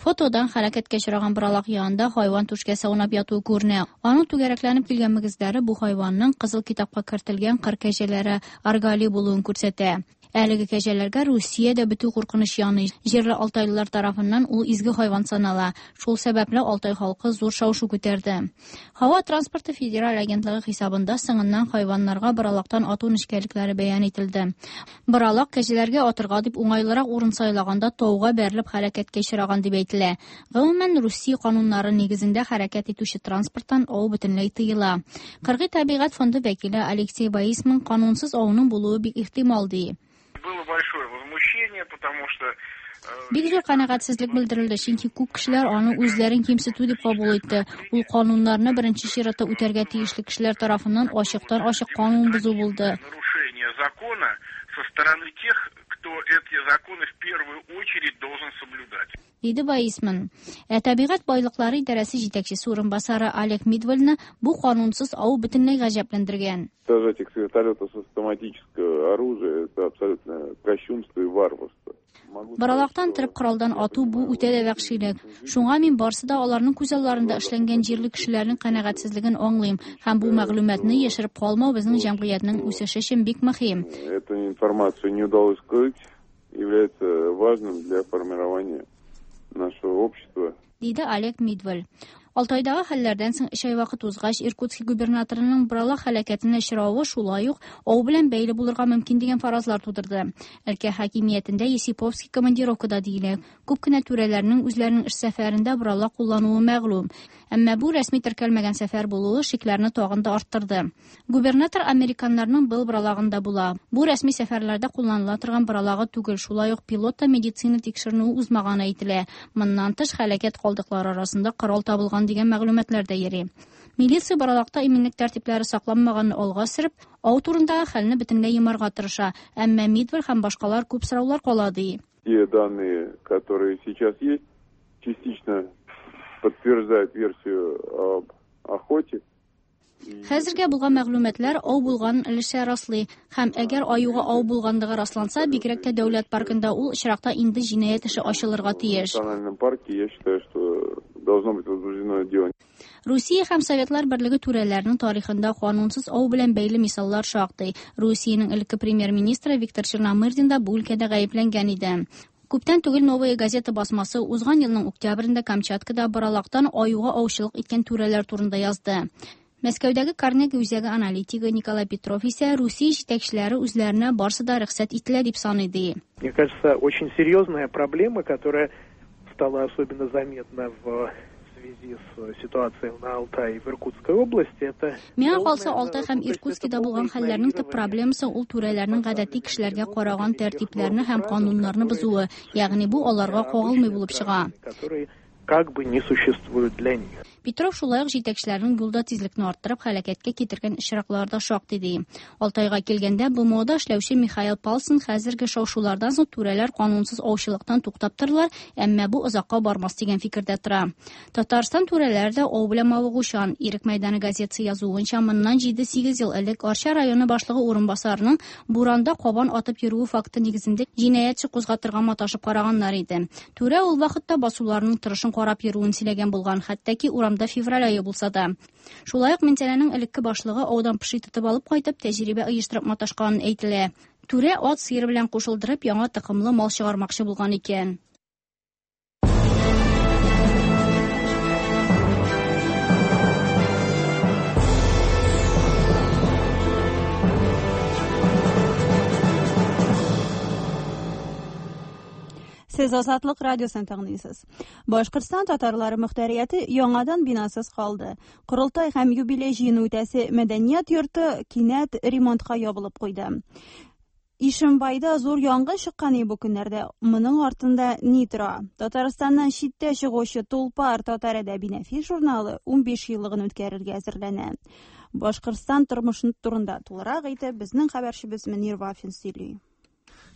Фотодан һәлакәткә очраган Бралак янында хайван түшкәсе аунап ятуы күренә. Аның түгәрәкләнеп килгән мөгезләре бу хайванның кызыл китапка кертелгән кыр кәҗәләре аргали булуын күрсәтә. Әлеге кәҗәләргә Русиядә бетү куркыныч яный. Җирле алтайлылар тарафыннан ул изге хайван санала. Шул сәбәпле Алтай халкы зур шау-шу күтәрде. Һава транспорты федераль агентлыгы хисабында соңыннан хайваннарга Бралактан ату нечкәлекләре бәян ителде. Бралак кәҗәләргә атырга дип уңайлырак урын сайлаганда тауга бәрелеп хәрәкәткә очраган дип әйтелә. Гомумән, Русия кануннары нигезендә хәрәкәт итүче транспорттан ау бөтенләй тыела. Кыргый табигать фонды вәкиле Алексей Баисман канунсыз ауның булуы бик ихтимал ди. Было большое возмущение, потому что Бик зур канәгатьсезлек белдерелде, чөнки күп кешеләр аны үзләрен кимсетү дип кабул итте. Ул кануннарны беренче чиратта үтәргә тиешле кешеләр тарафыннан ачыктан-ачык канун бозу булды. Нарушение закона со стороны тех, кто эти законы в первую очередь должен соблюдать. Диде Баисман. Ә табигать байлыклары идарәсе җитәкчесе урынбасары Олег Мидвальны бу канунсыз ау бөтенләй гаҗәпләндергән. Сажать их с вертолета с автоматического оружия – это абсолютно кощунство и варварство. Боралактан торып коралдан ату бу үтә дә вәхшилек. Шуңа мин барсы да аларның күз алларында эшләнгән җирле кешеләрнең канәгатьсезлеген аңлыйм һәм бу мәгълүматны яшереп калмау безнең җәмгыятьнең үсеше өчен бик мөһим. Эту информацию не удалось скрыть, является важным для формирования нашего общества. Диде Олег Мидваль. Алтайдагы хәлләрдән соң өч ай вакыт узгач, Иркутский губернаторының Бралак һәлакәтенә очравы шулай ук ау белән бәйле булырга мөмкин дигән фаразлар тудырды. Өлкә хакимиятендә Есиповский командировкада диелә. Күп кенә түрәләрнең үзләренең эш сәфәрендә Бралак куллануы мәгълүм. Әмма бу рәсми теркәлмәгән сәфәр булуы шикләрне тагын да арттырды. Губернатор американнарның был Бралагында була. Бу рәсми сәфәрләрдә кулланыла торган Бралагы түгел, шулай ук пилот та медицина тикшеренүе узмаганы әйтелә. Моннан тыш һәлакәт калдыклары арасында корал табылган дигән мәгълүматлар да йөри. Милиция Бралакта иминлек тәртипләре сакланмаганны алга сөреп, ау турындагы хәлне бөтенләй йомарга тырыша. Әмма Мидваль һәм башкалар күп сораулар кала ди. Те данные, которые сейчас есть, частично подтверждают версию об охоте. Хәзергә булган мәгълүматлар ау булганын өлешчә раслый һәм әгәр аюга ау булганлыгы расланса, бигрәк тә дәүләт паркында ул очракта инде җинаять эше ачылырга тиеш. В национальном парке, я считаю, что должно быть возбуждено дело. Русия һәм Советлар Берлеге түрәләренең тарихында канунсыз ау белән бәйле мисаллар шактый. Русиянең элекке премьер-министры Виктор Черномырдин да бу өлкәдә гаепләнгән иде. Күптән түгел Новая газета басмасы узган елның октябрендә Камчаткада боралактан аюга аучылык иткән түрәләр турында язды. Мәскәүдәге Карнеги үзәге аналитигы Николай Петров исә Русия җитәкчеләре үзләренә барсы да рөхсәт ителә дип саный ди. Мне кажется, очень серьезная проблема, которая стала особенно заметна в связи с ситуацией на Алтае и в Иркутской области, это... Миңа калса, Алтай һәм Иркутскида булган хәлләрнең төп проблемасы ул түрәләрнең гадәти кешеләргә караган тәртипләрне һәм кануннарны бозуы, ягъни бу аларга кагылмый булып чыга. Которые как бы не существуют для них. Петров шулай ук җитәкчеләрнең юлда тизлекне арттырып һәлакәткә китергән очраклар да шактый ди. Алтайга килгәндә, БМОда эшләүче Михаил Палсон хәзерге шау-шулардан соң түрәләр канунсыз аучылыктан туктап торырлар, әмма бу озакка бармас дигән фикердә тора. Татарстан түрәләре дә ау белән мавыгучан. Ирек мәйданы газетасы язуынча, моннан 7-8 ел элек Арча районы башлыгы урынбасарының буранда кабан атып йөрүе факты нигезендә җинаятьче кузгатырга маташып караганнар иде. Түрә ул вакытта басуларның торышын карап йөрүен сөйләгән булган, хәтта ки урамда февраль ае булса да. Шулай ук Минзәләнең элекке башлыгы аудан поши тотып алып кайтып, тәҗрибә оештырып маташканын әйтелә. Түрә ат сыер белән кушылдырып, яңа токымлы мал чыгармакчы булган икән. Сез Азатлык радиосын тыңлыйсыз. Башкортстан татарлары мөхтәрияте яңадан бинасыз калды. Корылтай һәм юбилей җыены үтәсе мәдәният йорты кинәт ремонтка ябылып куйды. Ишембайда зур янгын чыккан бу көннәрдә. Моның артында ни тора? Татарстаннан читтә чыгучы Тулпар татар әдәби нәфис журналы 15 еллыгын үткәрергә әзерләнә. Башкортстан тормышы турында тулырак итеп безнең хәбәрчебез Мөнир Вафин сөйли.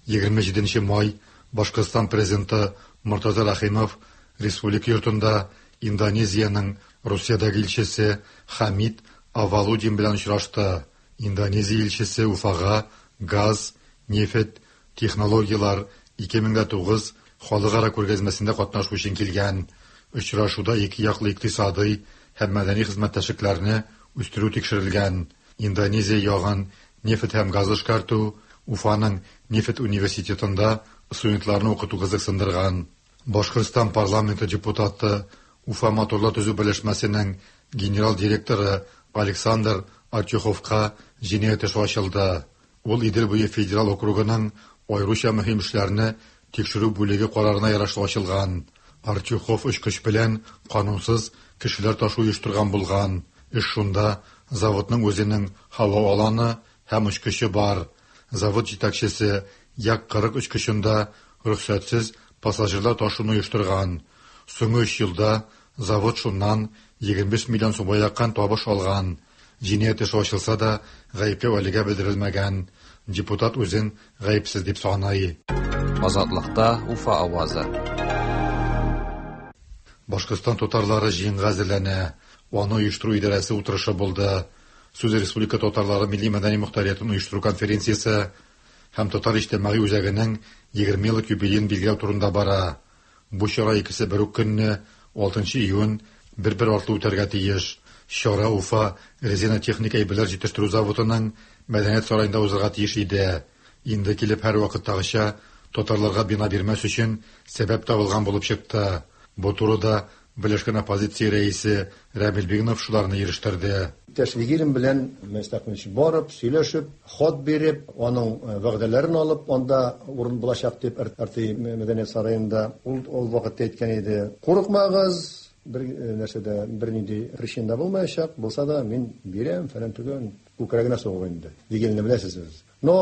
27 май Башкортстан президенты Мортаза Рәхимов Республика йортында Индонезиянең Русиядәге илчесе Хамид Авалудин белән очрашты. Индонезия илчесе Уфага газ, нефть, технологияләр 2009 халыкара күргәзмәсендә катнашу өчен килгән. Очрашуда ике яклы икътисадый һәм мәдәни хезмәттәшлекләрне үстерү тикшерелгән. Индонезия ягын нефть һәм газ эшкәртү, Уфаның нефть университетында студентларны укыту кызыксындырган. Башкортстан парламенты депутаты, Уфа моторлар төзү берләшмәсенең генерал директоры Александр Артюховка җинаять эше ачылды. Ул Идел буе федераль округының аеруча мөһим эшләрне тикшерү бүлеге карарына ярашлы ачылган. Артюхов очкыч белән канунсыз кешеләр ташу оештырган булган. Эш шунда, заводның үзенең һава аланы һәм очкычы бар. Завод җитәкчесе Як-40 очкычында рөхсәтсез пассажирлар ташуны оештырган. Соңгы өч елда завод шуннан 25 миллион сумга якын табыш алган. Җинаять эше ачылса да, гаепләү әлегә белдерелмәгән. Депутат үзен гаепсез дип саный. Азатлыкта Уфа авазы. Башкортстан татарлары җыенга әзерләнә. Аны оештыру идарәсе утырышы булды. Сүз республика татарлары милли-мәдәни мохтариятен оештыру конференциясе һәм Татар иҗтимагый үзәгенең 20 еллык юбилеен билгеләү турында бара. Бу чара икесе бер үк көнне, 6 июнь, бер-бер артлы үтәргә тиеш. Чара Уфа резина техника әйберләр җитештерү заводының мәдәният сараенда узарга тиеш иде. Инде килеп һәрвакыттагыча татарларга бина бирмәс өчен сәбәп табылган булып чыкты. Бу турыда Берләшкән оппозиция рәисе Рәмил Бигнов шуларны ирештерде. Иптәш Вигилин белән Мөнәс Әхмәтович барып, сөйләшеп, хат биреп, аның вәгъдәләрен алып, анда урын булачак дип РТИ мәдәният сараенда ул ул вакытта әйткән иде. Курыкмагыз, бер нәрсә дә, бернинди причина да булмаячак, булса да мин бирәм, фәлән төгән, күкрәгенә сугып инде. Вигилинны беләсез сез. Но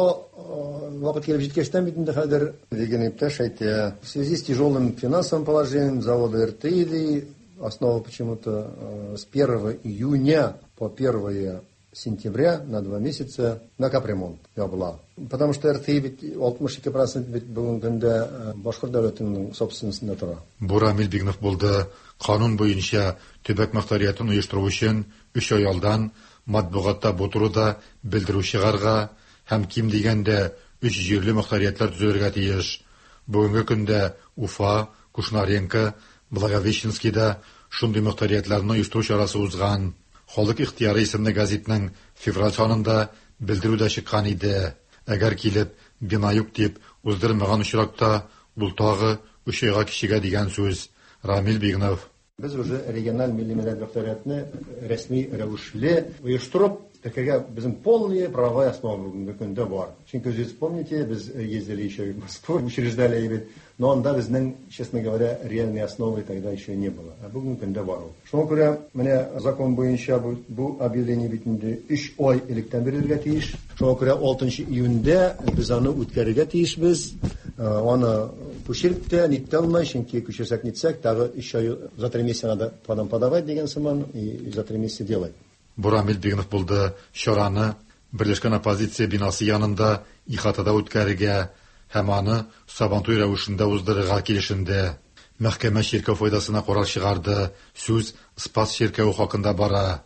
вакыт килеп җиткәчтән бит инде хәзер Вигилин иптәш әйтә, в связи с тяжелым финансовым положением завода РТИ, ди, основа почему-то с 1 июня по 1 сентября на 2 месяца на капремонт ябыла. Потому что РТИ бит 62% бит бүгенге көндә башкорт дәүләтенең собственностенда тора. Бу Рамил Бигнов булды. Канун буенча төбәк мохтариятен оештыру өчен 3 ай алдан матбугатта бу турыда белдерү чыгарга һәм ким дигәндә 3 җирле мохтариятләр төзелергә тиеш. Бүгенге көндә Уфа, Кушнаренко, Благовещенскийда шундый мохтариятләрне оештыру чарасы узган. Халык ихтыяры исемле газетның февраль санында белдерү дә чыккан иде. Әгәр килеп, бина юк дип уздырмаган очракта, ул тагы өч айга кичегә дигән сүз. Рамил Бигнов. Без уже региональ милли мәдәният мөхтәриятне рәсми рәвешле оештырып, теркәргә безнең полные правовая основа бүгенге көндә бар. Чөнки үзегез помните, без ездили еще в Москву, учреждали бит, но анда безнең, честно говоря, реальной основы тогда еще не было. Ә бүгенге көндә бар ул. Шуңа күрә менә закон буенча бу, бу объявление бит инде 3 ай электән бирелергә тиеш. Шуңа күрә 6 июньдә без аны үткәрергә тиешбез. Аны күчереп тә, нитә алмай, чөнки күчерсәк нитсәк, тагы 3 ай за 3 месяца надо потом подавать дигән сыман, и за 3 месяца делать. Бу Рамил Бигнов булды. Чараны Берләшкән оппозиция бинасы янында ихатада үткәрергә һәм аны Сабантуй рәвешендә уздырырга килешенде. Мәхкәмә чиркәү файдасына карар чыгарды. Сүз Спас чиркәве хакында бара.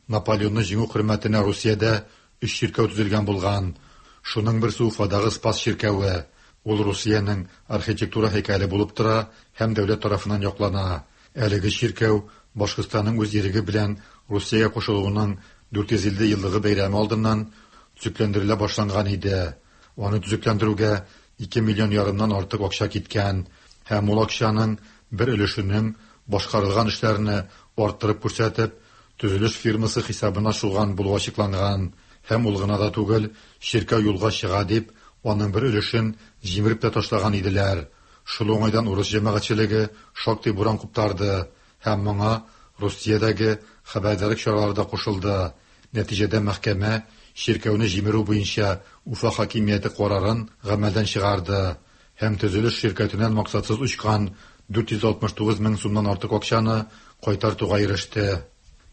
Наполеонны җиңү хөрмәтенә Русиядә өч чиркәү төзелгән булган. Шуның берсе Уфадагы Спас чиркәве. Ул Русиянең архитектура һәйкәле булып тора һәм дәүләт тарафыннан яклана. Әлеге чиркәү Башкортстанның үз иреге белән Русиягә кушылуының 450 еллыгы бәйрәме алдыннан төзекләндерелә башланган иде. Аны төзекләндерүгә 2 миллион ярымнан артык акча киткән һәм ул акчаның бер өлешенең башкарылган эшләрне арттырып күрсәтеп, төзелеш фирмасы хисабына шуган булуы ачыкланган. Һәм ул гына да түгел, чиркәү юлга чыга дип, аның бер өлешен җимереп тә ташлаган иделәр. Шул уңайдан урыс җәмәгатьчелеге шактый буран куптарды һәм моңа Русиядәге хәбәрдарлык чаралары да кушылды. Нәтиҗәдә мәхкәмә чиркәүне җимерү буенча Уфа хакимияте карарын гамәлдән чыгарды һәм төзелеш ширкәтеннән максатсыз очкан 469 мең сумнан артык акчаны кайтартуга иреште.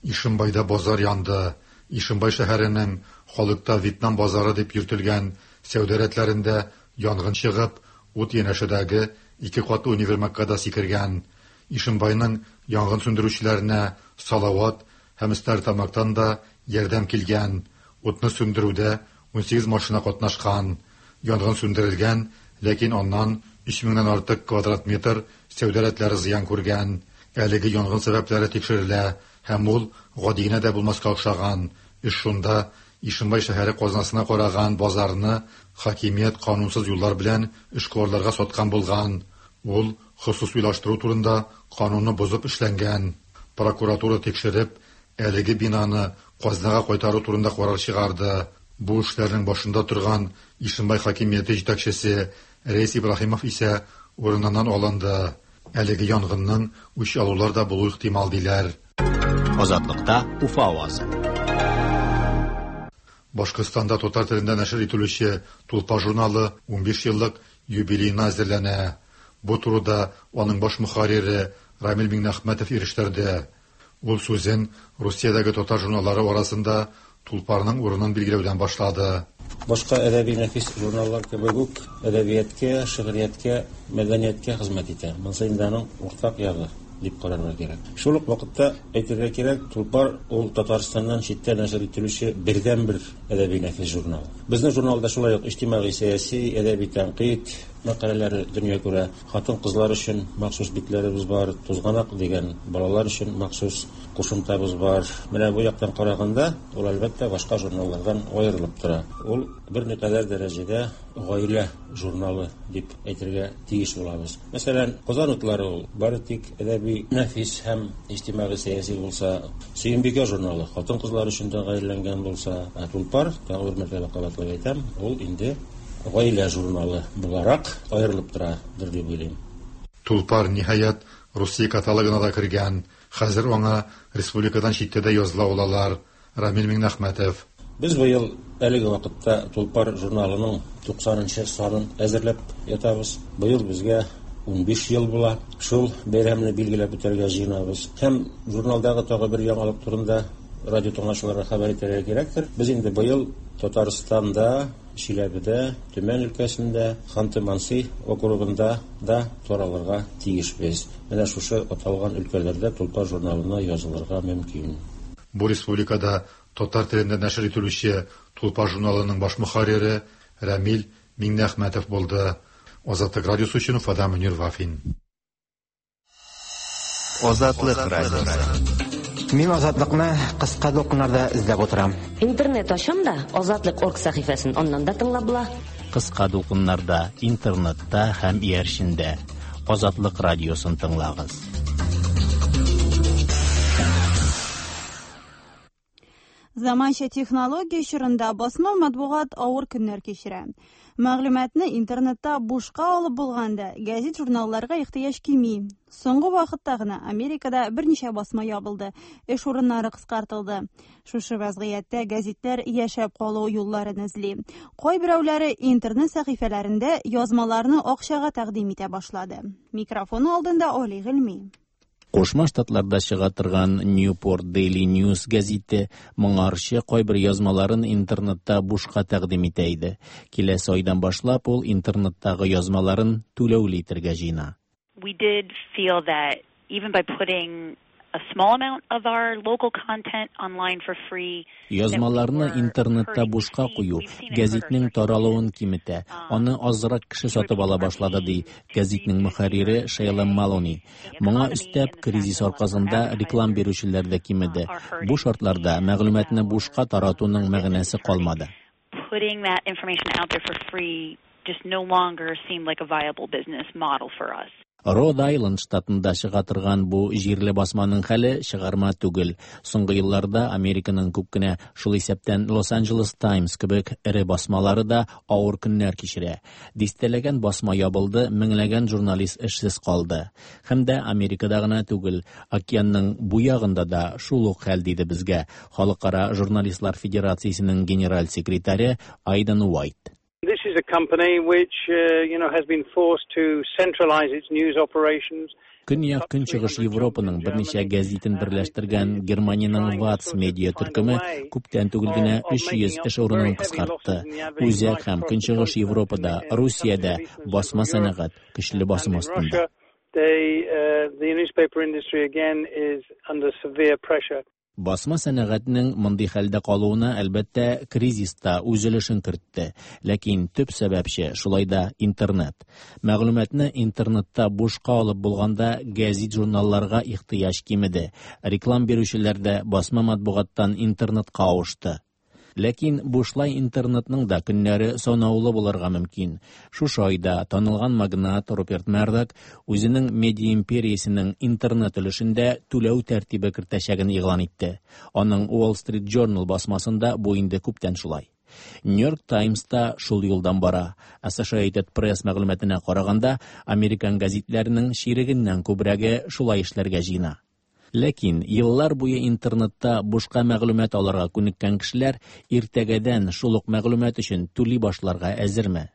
Ишембайда базар янды. Ишембай шәһәренең халыкта Вьетнам базары дип йөртелгән сәүдә рәтләрендә янгын чыгып, ут янәшәдәге ике катлы универмагка да сикергән. Ишембайның янгын сүндерүчеләренә Салават һәм Стәрлетамактан да ярдәм килгән. Утны сүндерүдә 18 машина катнашкан. Янгын сүндерелгән, ләкин аннан 3 меңнән артык квадрат метр сәүдә рәтләре зыян күргән. Әлеге янгын сәбәпләре тикшерелә һәм ул гади генә дә булмаска охшаган. Эш шунда, Ишембай шәһәре казнасына караган базарны хакимият канунсыз юллар белән эшкуарларга саткан булган. Ул хосусыйлаштыру турында канунны бозып эшләнгән. Прокуратура тикшереп, әлеге бинаны казнага кайтару турында карар чыгарды. Бу эшләрнең башында торган Ишембай хакимияте җитәкчесе Рәис Ибраһимов исә урыныннан алынды. Әлеге янгынның үч алулар да булу ихтимал диләр. Азатлыкта Уфа авазы. Башкортстанда татар телендә нәшер ителүче Тулпар журналы 15 еллык юбилеена әзерләнә. Бу турыда аның баш мөхәррире Рамил Миңнәхмәтов ирештерде. Ул сүзен Русиядәге татар журналлары арасында Тулпарның урынын билгеләүдән башлады. Башка әдәби нәфис журналлар кебек үк әдәбияткә, шигърияткә, мәдәнияткә хезмәт итә. Монысы инде аның уртак ягы дип карарга кирәк. Шул ук вакытта әйтергә кирәк, Тулпар ул Татарстаннан читтә нәшер ителүче бердәнбер әдәби нәфис журнал. Безнең журналда шулай ук иҗтимагый сәяси, әдәби тәнкыйть мәкаләләре дөнья күрә. Хатын-кызлар өчен махсус битләребез бар, Тузганак дигән балалар өчен махсус кушымтабыз бар. Менә бу яктан караганда, ул әлбәттә башка журналлардан аерылып тора. Ул берникадәр дәрәҗәдә гаилә журналы дип әйтергә тиеш булабыз. Мәсәлән, Казан утлары ул бары тик әдәби нәфис һәм иҗтимагый сәяси булса, Сөембикә журналы хатын-кызлар өчен тәгаенләнгән булса, ә Тулпар, тагы бер мәртәбә кабатлап әйтәм, ул инде гаилә журналы буларак аерылып торадыр дип уйлыйм. Тулпар, ниһаять, Русия каталогына да кергән. Хәзер аңа республикадан читтә дә языла алалар. Рамил Миңнәхмәтов. Без быел әлеге вакытта Тулпар журналының 90 нчы санын әзерләп ятабыз. Быел безгә 15 ел була. Шул бәйрәмне билгеләп үтәргә җыенабыз. Һәм журналдагы тагы бер яңалык турында радио тыңлаучыларга хәбәр итәргә кирәктер. Без инде быел Татарстанда, Чиләбедә, Төмән өлкәсендә, Ханты-Манси округында да таралырга тиешбез. Менә шушы аталган өлкәләрдә Тулпар журналына язылырга мөмкин. Бу республикада татар телендә нәшер ителүче Тулпар журналының баш мөхәррире Рәмил Миңнеәхмәтов булды. Азатлык радиосы өчен Уфадан Мөнир Вафин. Азатлык радиосы. Мин Азатлыкны кыска дулкыннарда эзләп утырам. Интернет ачам да, Азатлык орг сәхифәсен аннан да тыңлап була. Кыска дулкыннарда, интернетта һәм иярчендә. Азатлык радиосын тыңлагыз. Заманча технология чорында басма матбугат авыр көннәр кичерә. Мәгълүматны интернетта бушка алып булганда, гәзит-журналларга ихтыяҗ кими. Соңгы вакытта гына Америкада берничә басма ябылды, эш урыннары кыскартылды. Шушы вазгыятьтә гәзитләр яшәп калу юлларын эзли. Кайберәүләре интернет сәхифәләрендә язмаларны акчага тәкъдим итә башлады. Микрофон алдында Али Гыйльми. Кушма Штатларда чыга торган Newport Daily News гәзите моңарчы кайбер язмаларын интернетта бушка тәкъдим итә иде. Киләсе айдан башлап ул интернеттагы язмаларын түләүле итәргә җыена. We did feel that even by putting a small amount of our local content online for free, Язмаларны интернетта бушка кую гәзитнең таралуын киметә, аны азрак кеше сатып ала башлады, ди гәзитнең мөхәррире Шейла Малони. Моңа өстәп, кризис аркасында реклам бирүчеләр дә кимеде. Бу шартларда мәгълүматны бушка таратуның мәгънәсе калмады. Putting that information out there for free just no longer seemed like a viable business model for us. Род Айленд штатында чыга торган бу җирле басманың хәле чыгарма түгел. Соңгы елларда Американың күп кенә, шул исәптән Лос-Анджелес Таймс кебек эре басмалары да авыр көннәр кичерә. Дистәләгән басма ябылды, меңләгән журналист эшсез калды. Һәм дә Америкада гына түгел, океанның бу ягында да шул ук хәл, диде безгә Халыкара журналистлар федерациясенең генераль секретаре Айден Уайт. This is a company which, has been forced to centralize its news operations. Көньяк Көнчыгыш Европаның берничә гәзитен берләштергән Германиянең Ватс медиа төркеме күптән түгел генә 300 эш урынын кыскартты. Үзәк һәм Көнчыгыш Европада, Русиядә басма сәнәгать көчле басым астында. The newspaper industry again is under severe pressure. Басма сәнәгатьнең мондый хәлдә калуына, әлбәттә, кризис та үз өлешен кертте. Ләкин төп сәбәпче шулай да интернет. Мәгълүматны интернетта бушка алып булганда гәзит-журналларга ихтыяҗ кимеде. Реклам бирүчеләр дә басма матбугаттан интернетка авышты. Ләкин бушлай интернетның да көннәре санаулы булырга мөмкин. Шушы айда танылган магнат Руперт Мердок үзенең медиа империясенең интернет өлешендә түләү тәртибе кертәчәген игълан итте. Аның Wall Street Journal басмасында бу инде күптән шулай. New York Times та шул юлдан бара. Associated Press мәгълүматына караганда, американ гәзитләренең чирегеннән күбрәге шулай эшләргә җыена. Ләкин еллар буе интернетта бушка мәгълүмат алырга күнеккән кешеләр иртәгәдән шул ук мәгълүмат өчен түли башларга әзерме?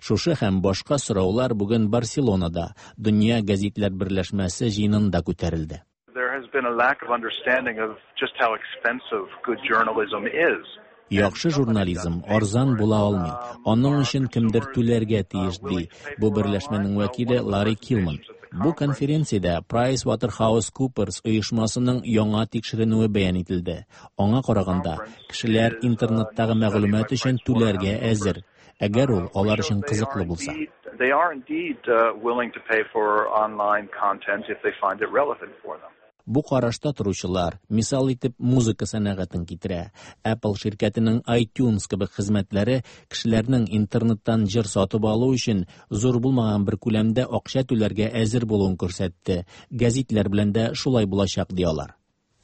Шушы һәм башка сораулар бүген Барселонада Дөнья гәзитләр берләшмәсе җыенында күтәрелде. There has been a lack of understanding of just how expensive good journalism is. Яхшы журнализм арзан була алмый. Аның өчен кемдер түләргә тиеш, ди бу берләшмәнең вәкиле Ларри Килман. Бу конференциядә PricewaterhouseCoopers оешмасының яңа тикшеренүе бәян ителде. Аңа караганда, кешеләр интернеттагы мәгълүмат өчен түләргә әзер, әгәр ул алар өчен кызыклы булса. They are indeed willing to pay for online content if they find it relevant for them. Бу карашта торучылар мисал итеп музыка сәнәгатен китерә. Apple ширкәтенең iTunes кебек хезмәтләре кешеләрнең интернеттан җыр сатып алу өчен зур булмаган бер күләмдә акча түләргә әзер булуын күрсәтте. Гәзитләр белән дә шулай булачак, ди алар.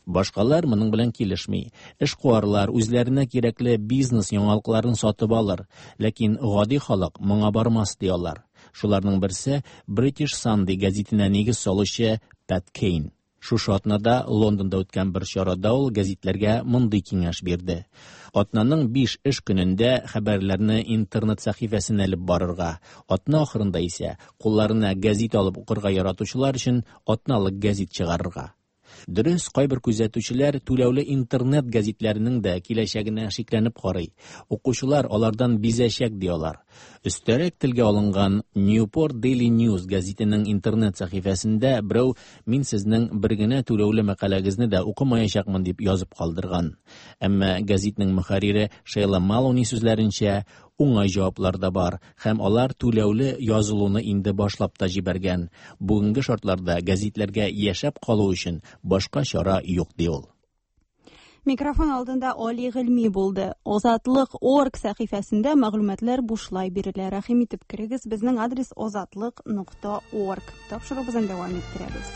Башкалар моның белән килешми. Эшкуарлар үзләренә кирәкле бизнес яңалыкларын сатып алыр, ләкин гади халык моңа бармас, ди алар. Шуларның берсе British Sunday гәзитенә нигез салучы Пэт Кейн. Шушы атнада Лондонда үткән бер чарада ул гәзитләргә мондый киңәш бирде. Атнаның 5 эш көнендә хәбәрләрне интернет сәхифәсенә элеп барырга, атна ахырында исә кулларына гәзит алып укырга яратучылар өчен атналык гәзит чыгарырга. Дөрес, кайбер күзәтүчеләр түләүле интернет гәзитләренең дә киләчәгенә шикләнеп карый. Укучылар алардан бизәчәк, ди алар. Өстәрәк телгә алынган Newport Daily News гәзитенең интернет сәхифәсендә берәү мин сезнең бер генә түләүле мәкаләгезне дә укымаячакмын дип язып калдырган. Әмма гәзитнең мөхәррире Шейла Малони сүзләренчә, Уңай җаваплар да бар һәм алар түләүле язылуны инде башлап та җибәргән. Бүгенге шартларда гәзитләргә яшәп калу өчен башка чара юк, ди ул. Микрофон алдында Али Гыйльми булды. Озатлык орг сәхифәсендә мәгълүматлар бушлай бирелә. Рәхим итеп керегез. Безнең адрес озатлык.орг. Тапшыруыбызны дәвам иттерәбез.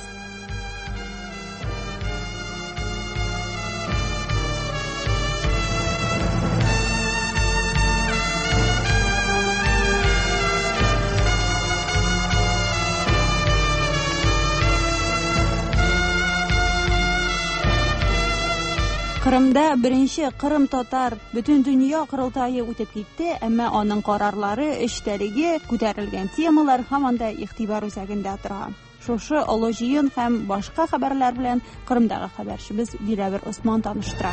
Кырымда беренче Кырым татар бөтен дөнья корылтае үтеп китте, әмма аның карарлары, эчтәлеге, күтәрелгән темалар һаман да игътибар үзәгендә тора. Шушы олы җыен һәм башка хәбәрләр белән Кырымдагы хәбәрчебез Диләвер Осман таныштыра.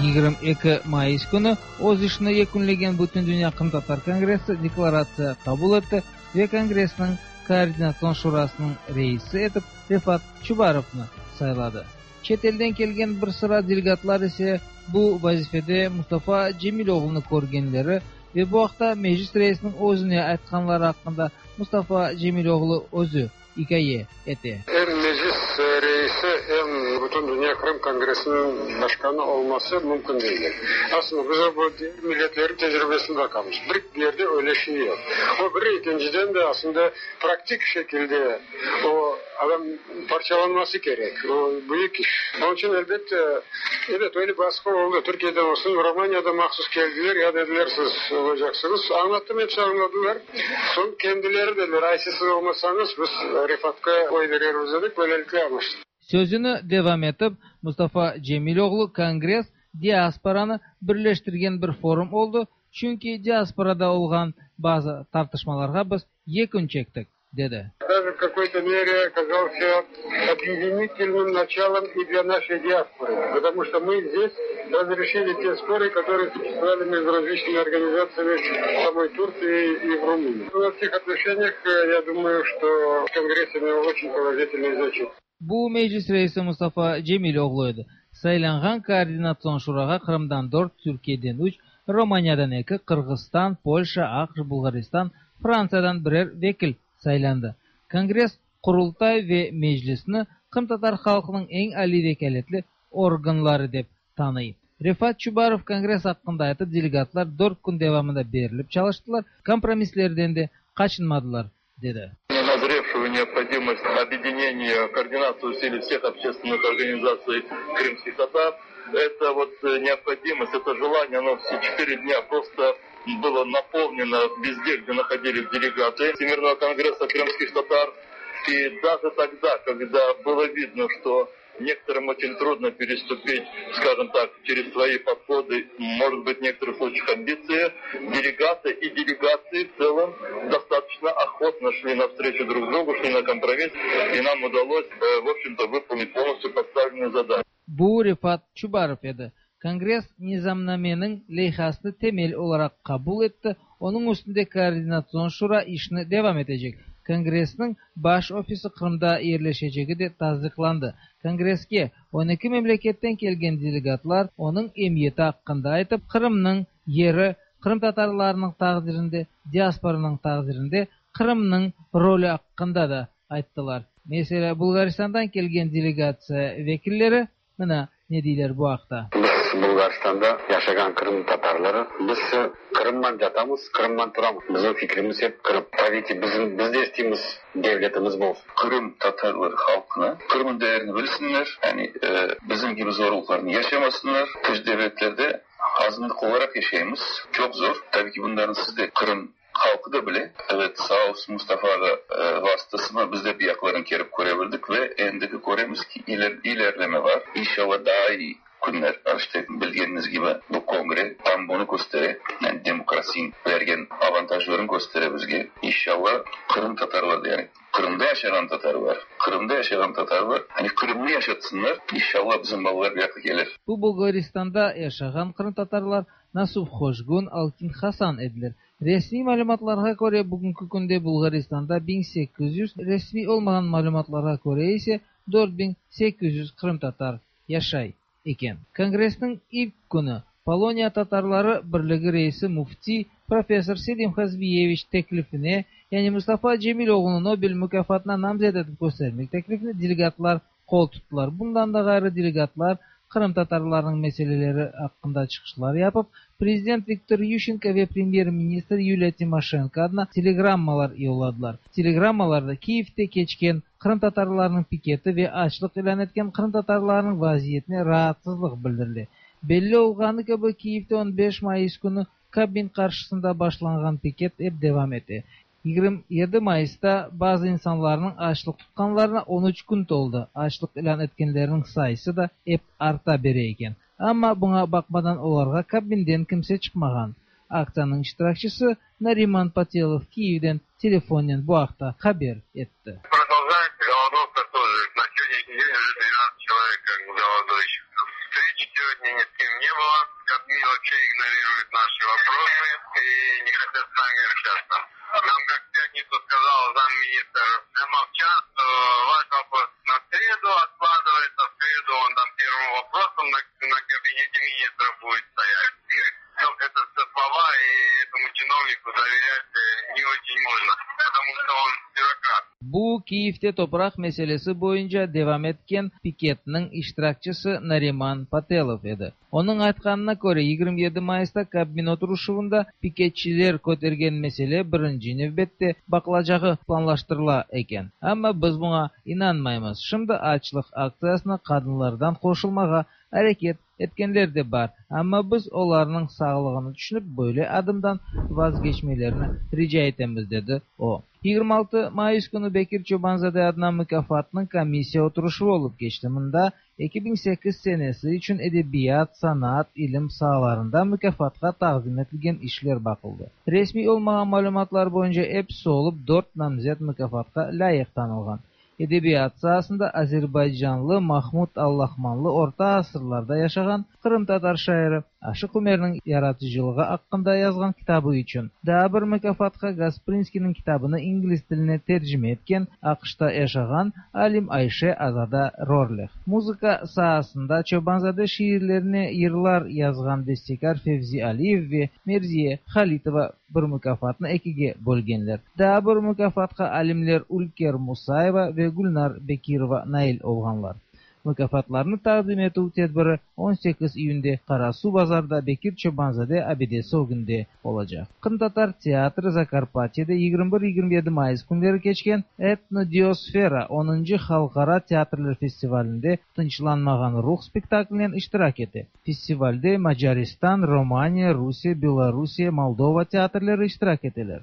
22 Mayıs günü öz işini yekunlagan Bütündünya Qırımtatar Kongressi deklaratsiya qabul etti ve Kongressniñ Koordinatsion şurasınıñ reisi etip Refat Çubarovnı sayladı. Çet elden kelgen bir sıra delegatlar ise bu vazifede Mustafa Cemiloğlunı körgenleri ve bu aqta Meclis reisiniñ özüne aytqanları aqqında Mustafa Cemiloğlu özü ikâye ete. Em Meclis reisi, em Bütündünya Qırım Kongressiniñ başqanı olması mümkün degil. Aslında biz bu diger milletlerniñ tecribesine baqamız. Bir yerde öyle şey yoq. O bir, ekinciden de aslında praktik şekilde o adam parçalanması kerek. O büyük iş. Onıñ içün, elbette, ebet, öyle basqı oldı. Türkiyeden olsun, Romaniyadan mahsus keldiler, ya dediler, siz olacaqsıñız. Añlattım, episi añladılar. Soñ kendileri dediler, ayse siz olmasañız, biz Refatqa oy berermiz dedik, böylelikle añlaştıq. Sözüni devam etip, Mustafa Cemiloğlu kongress diasporanı birleştirgen bir forum oldı, çünki diasporada olğan bazı tartışmalarğa biz yekün çektik, dedi. Даже в какой-то мере оказался объединительным началом и для нашей диаспоры, потому что мы здесь разрешили те споры, которые существовали между различными организациями в самой Турции и в Румынии. Во всех отношениях, я думаю, что Конгресс имел очень положительный значение. Bu Meclis reisi Mustafa Cemiloğlu edi. Saylanğan Koordinatsion şurağa Qırımdan dört, Türkiyeden üç, Romaniyadan eki, Qırğızstan, Polşa, AQŞ, Bulğaristan, Frantsiyadan birer vekil saylandı. Kongress Qurultay ve Meclisni qırımtatar halqınıñ eñ aliy vekâletli organları dep tanıy. Refat Çubarov kongress aqqında aytıp, delegatlar dört kün devamında berilip çalıştılar, kompromisslerden de qaçınmadılar, dedi. Назревшую необходимость объединения, координацию усилий всех общественных организаций крымских татар. Это вот необходимость, это желание, оно все четыре дня просто было наполнено везде, где находились делегаты Всемирного конгресса крымских татар. И даже тогда, когда было видно, что некоторым очень трудно переступить, скажем так, через свои подходы, может быть, в некоторых случаях амбиции, делегаты и делегации в целом достаточно охотно шли навстречу друг другу, шли на компромисс, и нам удалось, в общем-то, выполнить полностью поставленную задачу. Bu Refat Çubarov edi. Kongress nizamnameniñ leyhasını temel olaraq qabul etti, onıñ üstünde Koordinatsion şura işni devam etecek. Kongressniñ baş ofisi Qırımda yerleşecegi de tasdiqlandı. Kongresske on eki memleketten kelgen delegatlar onıñ emiyeti aqqında aytıp, Qırımnıñ yeri, qırımtatarlarnıñ taqdirinde, diasporanıñ taqdirinde Qırımnıñ rolü aqqında da ayttılar. Meselâ, Bulğaristandan kelgen delegatsiya vekilleri mına ne deyler bu aqta. Biz Bulğaristanda yaşağan Qırım tatarları, biz Qırımman yatamız, Qırımman turamız. Bizim fikrimiz ep Qırım. Tabii ki bizim, biz de isteymiz devletimiz bolsun. Qırım tatarları halqına Qırımın değerini bilsinler, yani bizim kibi zorluqlarnı yaşamasınlar. Tış devletlerde azınlıq olaraq yaşaymız, çoq zor. Tabii ki bunların siz de Qırım halqı da bile. Evet, sağ olsun Mustafa ağa vasıtasına biz de bir yaqların kelip köre bildik ve endigi köremiz ki ilerleme bar. İnşallah daa iyi künler. İşte bilgeniñiz kibi bu kongre tam bunı köstere, yani demokrasiya bergen avantajların köstere bizge. İnşallah Qırım tatarlar, yani Qırımda yaşağan tatarlar, Qırımda yaşağan tatarlar, hani Qırımnı yaşatsınlar, inşallah bizim balalar bir yaqqa kelir. Bu Bulğaristanda yaşağan qırımtatarlar Nasuh Hoşgun, Altin Hasan ediler. Resmiy malümatlarğa köre, bugünki künde Bulğaristanda 1800, resmiy olmağan malümatlarğa köre ise 4800 qırımtatar yaşay. eken. Kongressniñ ilk künü Poloniya tatarları birligi reisi müfti, professor Selim Hazbiyeviç teklifine, yani Mustafa Cemiloğlunı Nobel mukâfatına namzet etip köstermek teklifine delegatlar qol tuttılar. Bundan da ğayrı delegatlar qırımtatarlarnıñ meseleleri aqqında çıqışlar yapıp, prezident Viktor Yuşçenko ve premyer-ministr Yuliya Timoşenko adına telegrammalar yolladılar. Telegrammalarda Kiyevde keçken qırımtatarlarnıñ piketi ve açlıq ilân etken qırımtatarlarnıñ vaziyetine raatsızlıq bildirile. Belli olğanı kibi, Kiyevde on beş mayıs künü Kabmin qarşısında başlanğan piket ep devam ete. 27 mayısta bazı insanlarnıñ açlıq tutqanlarına 13 kün toldı. Açlıq ilân etkenlerniñ sayısı da ep arta bere eken. Amma buña baqmadan olarğa Kabminden kimse çıqmağan. Aktsiyanıñ iştirakçisi Nariman Patelov Kiyevden telefonnen bu aqta haber etti. Продолжается голодовка тоже. На сегодняшний день уже 12 человек как бы голодующих. Встреч сегодня ни с кем не было. Кабмин вообще игнорирует наши вопросы и не хотят с нами общаться. Нам, как в пятницу сказал замминистр Мовчан, что ваш вопрос на среду откладывается. В среду он там первым вопросом на кабинете министров будет стоять. Ну, это все слова, и этому чиновнику доверять не очень можно, потому что он бюрократ. Bu Kiyevde topraq meselesi boyunca devam etken piketniñ iştirakçisi Nariman Patelov edi. Onıñ aytqanına köre, 27 mayısta Kabmin oturışuvında piketçiler kötergen mesele birinci nevbette baqılacağı planlaştırıla eken. Amma biz buña inanmaymız. Şimdi açlıq aktsiyasına qadınlardan qoşulmağa areket etkenler de bar, amma biz olarnıñ sağlığını tüşünip, böyle adımdan vazgeçmelerini rica etemiz, dedi o. 26 mayıs künü Bekir Çoban-zade adına mukâfatnıñ komissiya oturışuvı olıp keçti. Mında 2008 senesi içün edebiyat, sanat, ilim saalarında mukâfatqa taqdim etilgen işler baqıldı. Resmiy olmağan malümatlar boyunca episi olıp dört namzet mukâfatqa lâyıq tanılğan. Edebiyat saasında azerbaycanlı Mahmud Allahmanlı orta asırlarda yaşağan qırımtatar şairi Aşıq Umerniñ yaratıcılığı aqqında yazğan kitabı içün, daa bir mukâfatqa Gasprinskiyniñ kitabını ingliz tiline tercime etken AQŞta yaşağan alim Ayşe Azada Rorlih, muzıka saasında Çoban-zade şiirlerine yırlar yazğan bestekâr Fevzi Aliyev ve Merziye Halitova bir mukâfatnı ekige bölgenler. Daa bir mukâfatqa alimler Ülker Musayeva ve Gülnar Bekirova nail olğanlar. Mukâfatlarnı taqdim etüv tedbiri 18 iyünde Qarasuvbazarda Bekir Çoban-zade abidesi ögünde olacaq. Qırımtatar teatri Zakarpatyede 21-27 mayıs künleri keçken Etnodiosfera onuncı halqara teatrler festivalinde Tınçlanmağan ruh spektaklinen iştirak ete. Festivalde Macaristan, Romaniya, Rusiye, Belorusiye, Moldova teatrleri iştirak eteler.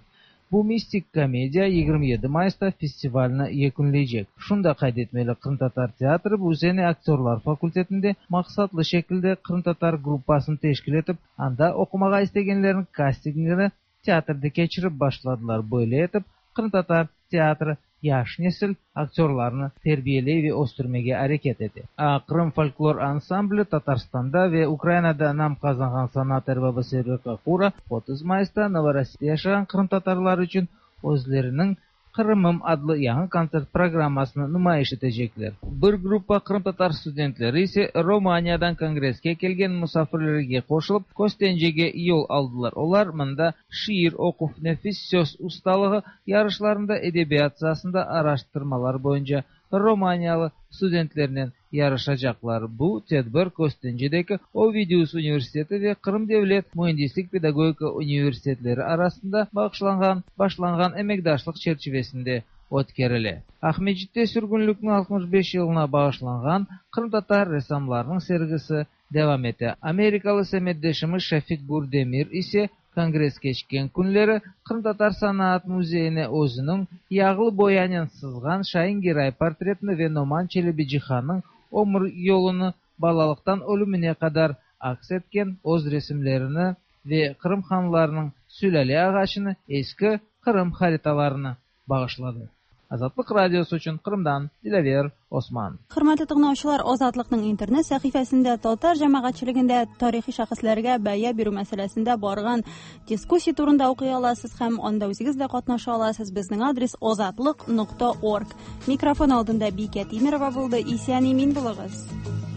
Bu mistik komediya 27 mayısta festivalni yekünleycek. Şunı da qayd etmeli, Qırımtatar teatri bu sene aktörlar fakultetinde maqsatlı şekilde qırımtatar gruppasını teşkil etip, anda oqumağa istegenlerniñ kastingini teatrde keçirip başladılar. Böyle etip, qırımtatar teatri yaş nesil aktörlarını terbiyeley ve östürmege areket ete. Qırım folklor ansambli, Tatarstanda ve Ukrainada nam qazanğan sanat erbabı Server Kakura 30 mayısta Novorossiyada yaşağan qırımtatarlar içün özleriniñ Qırımım adlı yañı kontsert programmasını numayış etecekler. Bir gruppa qırımtatar studentleri ise Romaniyadan kongresske kelgen musafirlerge qoşulıp, Köstencege yol aldılar. Olar mında şiir oquv, nefis söz ustalığı yarışlarında, edebiyat saasında araştırmalar boyunca romaniyalı studentlernen yarışacaqlar. Bu tedbir Köstencedeki Ovidius universiteti ve Qırım devlet müendislik-pedagogika universitetleri arasında bağışlanğan başlanğan emekdaşlıq çerçivesinde ötkerile. Aqmescitte sürgünlikniñ 65 yılına bağışlanğan qırımtatar ressamlarınıñ sergisi devam ete. Amerikalı semetdeşimiz Şafik Gürdemir ise kongress keçken künleri Qırımtatar sanaat müzeyine özüniñ yağlı boyanen sızğan Şain Geray portretini ve Noman Çelebicihannıñ ömür yolunı balalıqtan ölümine qadar aks etken öz resimlerini ve Qırım hanlarınıñ sülâle ağaçını, eski Qırım haritalarını bağışladı. Azatlıq Radiosı içün Qırımdan Dilâver Osman. Хөрмәтле тыңлаучылар, Азатлыкның интернет сәхифәсендә татар җәмәгатьчелегендә тарихи шәхесләргә бәя бирү мәсьәләсендә барган дискуссия турында укый аласыз һәм анда үзегез дә катнаша аласыз. Безнең адрес озатлык.орг. Микрофон алдында Бикә Тимерова булды. Исән имин булыгыз.